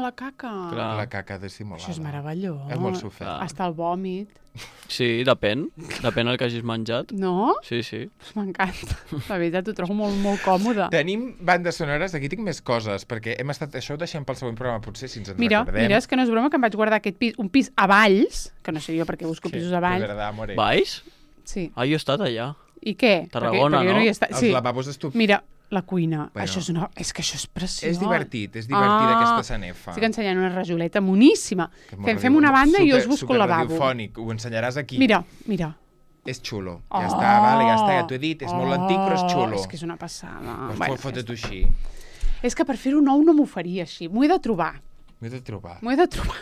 La caca. Clar. La caca dissimulada. Això és meravellós. És molt sofert. Hasta el vòmit. Sí, depèn. Depèn del que hagis menjat. No? Sí. M'encanta. La veritat, ho trobo molt, molt còmode. Tenim bandes sonores, aquí tinc més coses, perquè hem estat... Això ho deixem pel següent programa, potser, si ens en recordem. Mira, és que no és broma que em vaig guardar aquest pis, un pis a Valls, que no sé jo perquè busco pisos a Valls. Valls? Sí. Jo he estat allà. I què? Tarragona, perquè no? No hi he estat. Els lavabos estupends. Mira, la cuina. Bueno, és que això és preciós. És divertit aquesta sanefa. Estic ensenyant una rajoleta moníssima. Fem una banda i jo us busco el lavabo. Radiofònic, ho ensenyaràs aquí. Mira. És xulo. Ja està, vale, ja t'ho he dit. És molt antic, però és xulo. És que és una passada. Doncs fota-t'ho així. És que per fer-ho nou no m'ho faria així. M'ho he de trobar. M'ho he de trobar.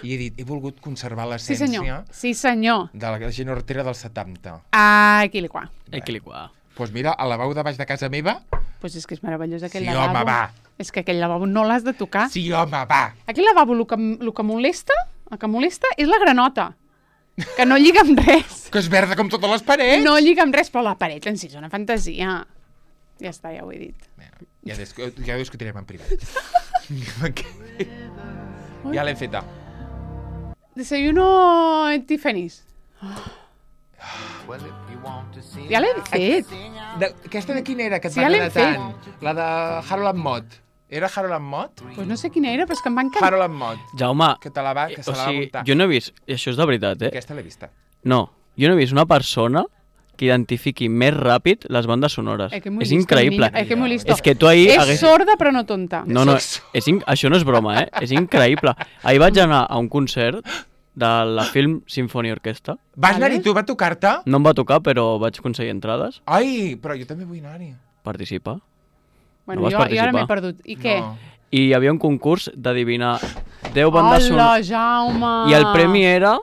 I he dit, he volgut conservar l'essència Sí, senyor. de la gent hortera dels 70. Equiliquà. Doncs mira, al lavabo de baix de casa meva... Doncs és que és meravellós aquell lavabo. lavabo. Sí, home, va. És que aquell lavabo no l'has de tocar. Sí, home, va. Aquell lavabo, el que molesta és la granota. Que no lliga amb res. Que és verda com totes les parets. No lliga amb res, però la paret en si és una fantasia. Ja està, ja ho he dit. Ja ho discutirem en privat. Ja l'hem feta. Desayuno en Tiffany's. Ja l'hem fet. Aquesta de quina era, que et va agradar tant? La de Harold and Maude. Era Harold and Maude? Pues no sé quina era, però és que em va encantar. Harold and Maude. Jaume, que se la va muntar. Jo no he vist, i això és de veritat, Aquesta l'he vista. No, jo no he vist una persona que identifiqui més ràpid les bandes sonores. És increïble. És que tu ahir... És sorda però no tonta. No, això no és broma, És increïble. Ahir vaig anar a un concert de la Film Symphony Orquestra. Vas anar-hi tu? Va tocar-te? No em va tocar, però vaig aconseguir entrades. Ai, però jo també vull anar-hi. Participa. Bueno, jo ara m'he perdut. I què? I hi havia un concurs d'adivinar 10 bandes sonores. Hola, Jaume! I el premi era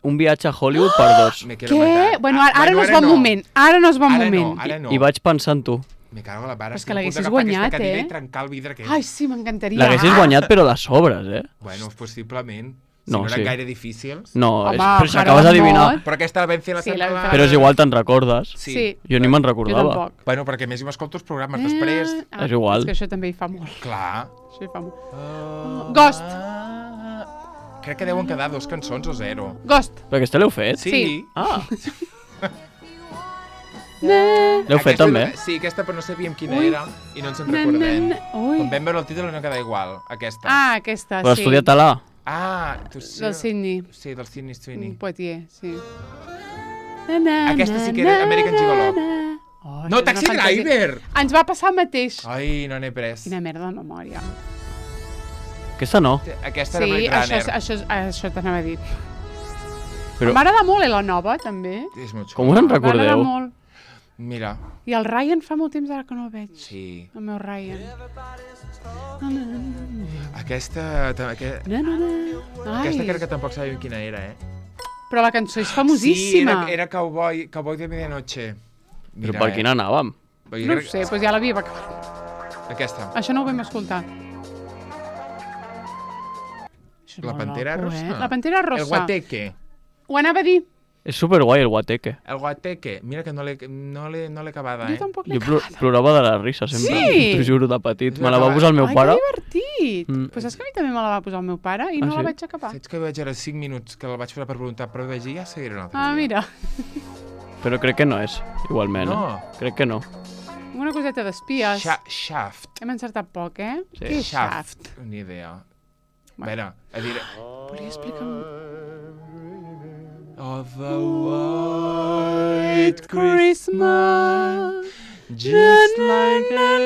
un viatge a Hollywood per 2. Què? Bueno, ara no és bon moment. Ara no és bon moment. I vaig pensar en tu. Me cago en la mare. Però és que l'haguessis guanyat, i trencar el vidre aquest. Ai, sí, m'encantaria. L'haguessis guanyat, però de sobres, Bueno, possiblement. Si no eren gaire difícils. No, però si acabes d'adivinar. Però aquesta la vam fer la setmana. Però és igual, te'n recordes? Sí. Jo ni me'n recordava. Jo tampoc. Bueno, perquè més m'escolto els programes després. És igual. És que això també hi fa molt. Clar. Això hi fa molt. Ghost. Crec que deuen quedar 2 cançons o 0. Ghost. Però aquesta l'heu fet? Sí. L'heu fet també? Sí, aquesta però no sabíem quina era i no ens en recordem. Quan vam veure el títol no queda igual, aquesta. Aquesta, sí. Però estudiat-la. Tu sí. Del Sydney. Sí, del Sydney Sweeney. Poitier, sí. Aquesta sí que era American Gigolo. No, Taxi Driver! Ens va passar el mateix. Ai, no n'he pres. Quina merda de memòria. Aquesta no. Aquesta era Blade Runner. Sí, això t'anava a dir. M'agrada molt, la nova, també. És molt xulo. Com us en recordeu? M'agrada molt. Mira. I el Ryan fa molt temps ara que no el veig. Sí. El meu Ryan. Aquesta crec que tampoc sabíem quina era, Però la cançó és famosíssima. Sí, era Cowboy de Medianoche. Però per quina anàvem? No ho sé, doncs ja l'havíem acabat. Aquesta. Això no ho vam escoltar. La Pantera Rosa. La Pantera Rosa. El Guateque. Ho anava a dir. És superguai, el Guateque. El Guateque. Mira que no l'he acabada, Jo tampoc l'he acabada. Jo plorava de la risa, sempre. Sí? T'ho juro, de petit. Me la va posar el meu pare. Ai, que divertit. Però saps que a mi també me la va posar el meu pare i no la vaig acabar. Saps que vaig ara 5 minuts, que la vaig fer per voluntat, però vaig dir, ja seguiré un altre dia. Mira. Però crec que no és, igualment. No. Crec que no. Una coseta d'espies. Shaft. Hem encertat poc, Sí. Què és Shaft? Ni idea. A veure, a dir... Podria explicar-m'ho? Of a white Christmas, just like I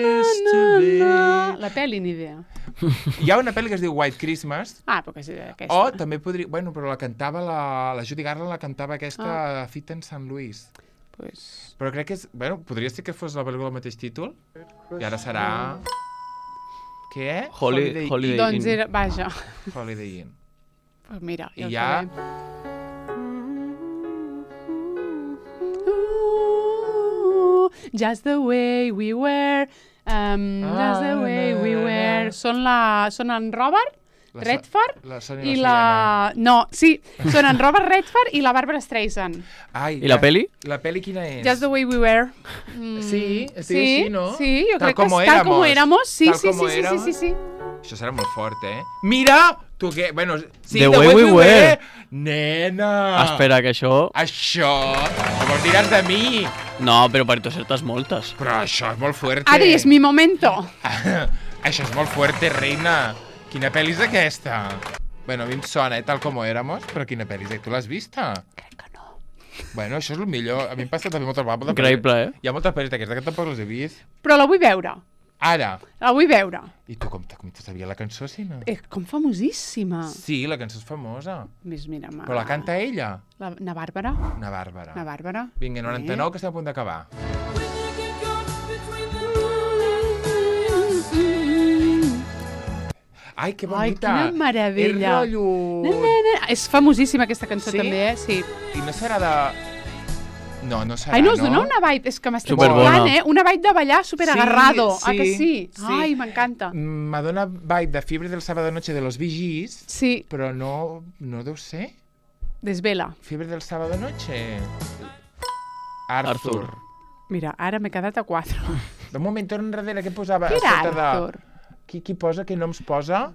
used to be. La pel·li, ni idea. Hi ha una pel·li que es diu White Christmas. Però que és aquesta. O també podria... Bueno, però la cantava la Judy Garland, la cantava aquesta Fit en St. Louis. Però crec que és... Bueno, podria ser que fos la pel·lícula del mateix títol. I ara serà... Què? Holiday Inn. Doncs era... Vaja. Holiday Inn. Pues mira, i ja... Just the way we were... Just the way we were... Són en Robert Redford i la... No, sí, són en Robert Redford i la Barbara Streisand. I la peli? La peli quina és? Just the way we were. Sí, estic així, no? Sí, jo crec que és Tal como éramos. Sí. Això serà molt fort, Mira! Tu què? Bueno, sí, The way we were. Nena! Espera, que això... Això... Llavors diràs de mi. No, però per tu certes moltes. Però això és molt fuerte. Ara és mi momento. Això és molt fuerte, reina. Quina pel·li és aquesta? Bueno, a mi em sona, Tal como éramos, però quina pel·li és? Tu l'has vista? Crec que no. Bueno, això és el millor. A mi em passa també moltes vegades. Increïble, Hi ha moltes pel·lis d'aquestes que tampoc les he vist. Però la vull veure. Ara. La vull veure. I tu com te sabia la cançó, si no? Com famosíssima. Sí, la cançó és famosa. Mira, Però la canta ella. Na Bàrbara. Na Bàrbara. Na Bàrbara. Vinga, 99, que estem a punt d'acabar. Ai, que bonita. Ai, quina meravella. És rotllo... És famosíssima aquesta cançó, Sí? també, Sí. I no serà de... No, no serà, Ai, no us dona una vibe, és que m'estic Superbona. xocant, Una vibe de ballar superagarrado. Sí, Que sí? sí. Ai, m'encanta. M'adona vibe de Fiebre del Sábado Noche de los Bee Gees, Sí, però no deu ser. desvela. Fiebre del Sábado Noche. Arthur. Mira, ara m'he quedat a 4. De moment, torna enrere, què posava? Qui era A sota Arthur? Qui posa, què noms posa?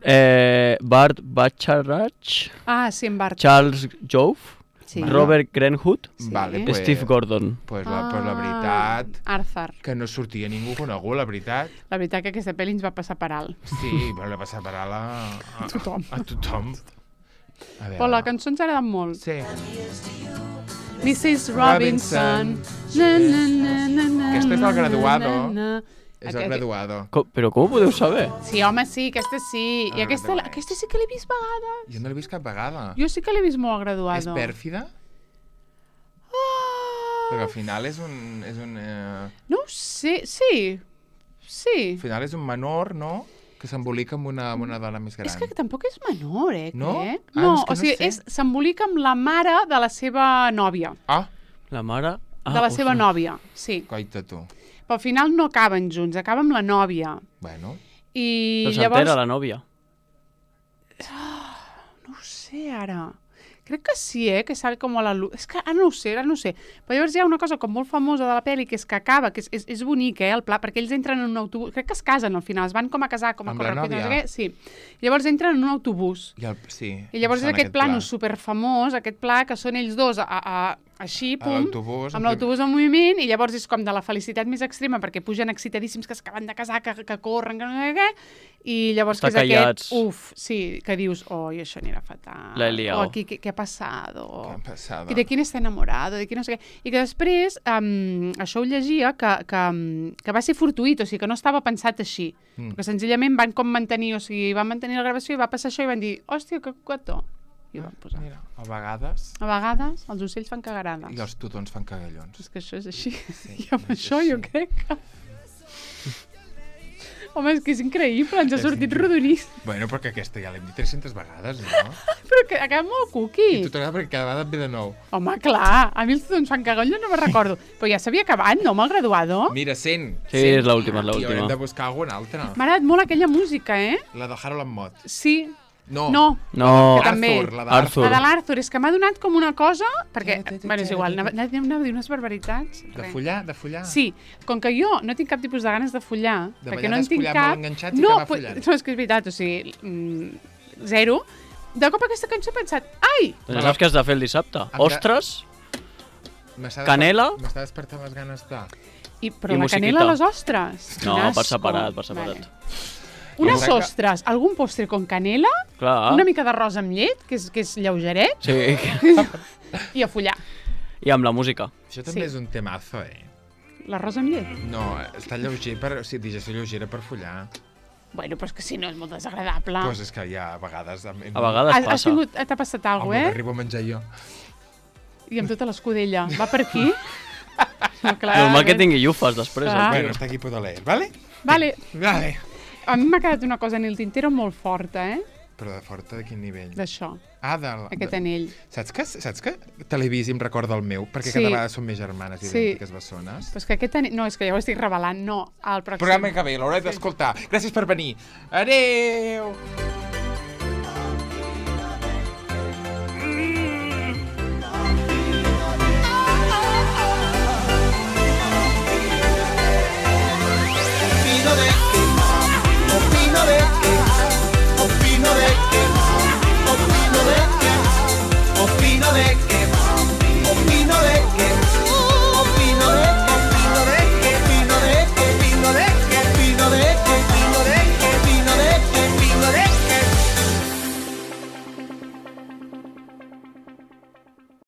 Bart Bacharach, Ah, sí, en Bart. Charles Jove, Sí. Robert Greenwood, Sí. Vale, Steve Gordon. Pues la veritat, Arthur. que no sortia ningú conegut, la veritat. La veritat que aquesta pel·li ens va passar per alt. Sí, però la passa per a Tothom. A tothom. A veure. Però la cançó ens ha agradat molt. Sí. Mrs. Robinson. Na, na, na, na, na, Aquesta és el graduado. na, na. És el graduado. Però com ho podeu saber? Sí, home, sí, aquesta sí. I Ah, aquesta, no. aquesta sí que l'he vist vegades. Jo no l'he vist cap vegada. Jo sí que l'he vist molt És graduado. pèrfida? Perquè al final és un No ho sé, sí. Sí. al final és un menor, no? Que s'embolica amb una dona més gran. És que tampoc és menor, No? crec. Ah, No, és que o sigui, no sé. s'embolica amb la mare de la seva nòvia. Ah, La mare... De la seva nòvia, sí. coita tu. Però al final no acaben junts, acaba amb la nòvia. Bueno, I Però llavors... s'entera la nòvia. No ho sé, ara. Crec que sí, que sale com a la luz. És que ara no ho sé, Però llavors hi ha una cosa com molt famosa de la pel·li, que és que acaba, que és bonic, el pla, perquè ells entren en un autobús, crec que es casen al final, es van com a casar, com a Amb la córrer, nòvia? no sé què, sí. Llavors entren en un autobús. sí. I llavors és Sona aquest pla pla. superfamós, aquest pla que són ells dos així, A pum, l'autobús, amb l'autobús en moviment, i llavors és com de la felicitat més extrema, perquè pugen excitadíssims, que acaben de casar, que corren, que no sé què, i llavors Està que és callats. aquest, sí, que dius, i això anirà fatal. La he liado. O aquí, què ha passat? Què ha passat? I de quién està enamorado, de qui no sé què. I que després, això ho llegia, que va ser fortuït, o sigui, que no estava pensat així. Perquè senzillament van com mantenir, o sigui, van mantenir la gravació i va passar això i van dir, hòstia, que cuató. I ho van posar. Mira, a vegades... A vegades els ocells fan cagarades. I els tutons fan cagallons. És que això és així. Sí, I amb és això així. jo crec que... Home, és que és increïble, ens ha sortit rodonís. Bueno, perquè aquesta ja l'hem dit 300 vegades, no? Però que acaba molt I cookie. tu t'agrada perquè cada vegada et ve de nou. Home, clar, a mi els tutons fan cagarades no me'n recordo. Però ja s'havia acabat, no, amb el graduado? Mira, 100. Sí, 100. és l'última, és I haurem l'última. de buscar alguna altra. M'ha agradat molt aquella música, La de Harold and Maude. Sí. No. No. No, Que també. Arthur, la Arthur. La de l'Arthur, és que m'ha donat com una cosa... Perquè, Ta, ta, ta, bueno, és ta, igual, ta, ta. anava a dir unes barbaritats. De Res. follar? Sí, com que jo no tinc cap tipus de ganes de follar, De perquè ballar no en tinc desfollat, cap... molt enganxats i acabar follant. No, és que és veritat, o sigui, zero. De cop aquesta cançó he pensat, ai, Doncs saps què has de fer el dissabte? de- Ostres, M'està Canela? M'està despertant les ganes de... però I la musiquita. canela a les ostres. No, Quin per asco. separat, per separat. Vale. Unes Jo crec que- ostres, algun postre con canela, clar. una mica d'arròs amb llet, que és lleugeret, Sí, i a follar. i amb la música. Això també Sí. és un temazo, L'arròs amb llet? No, està lleuger o sigui, digestió lleugera per follar. Bueno, però és que si no és molt desagradable. Doncs és que ja a vegades... A vegades passa. T'ha passat alguna Home, cosa, m'arribo a menjar jo. I amb tota l'escudella. Va per aquí? No, clar. Normal que tingui llufes després. Clar. el Bueno, tio. està aquí puedo leer, ¿vale? Vale. Vale. A mi m'ha quedat una cosa en el tintero molt forta, Però de forta de quin nivell? D'això, Ah, aquest anell. Saps que Televisi em recorda el meu? Perquè Sí. cada vegada són més germanes Sí. idèntiques bessones. Però és que aquest anell... No, és que ja ho estic revelant. No, al pròxim. Programa que ve, l'hauré d'escoltar. Gràcies per venir. Adeu!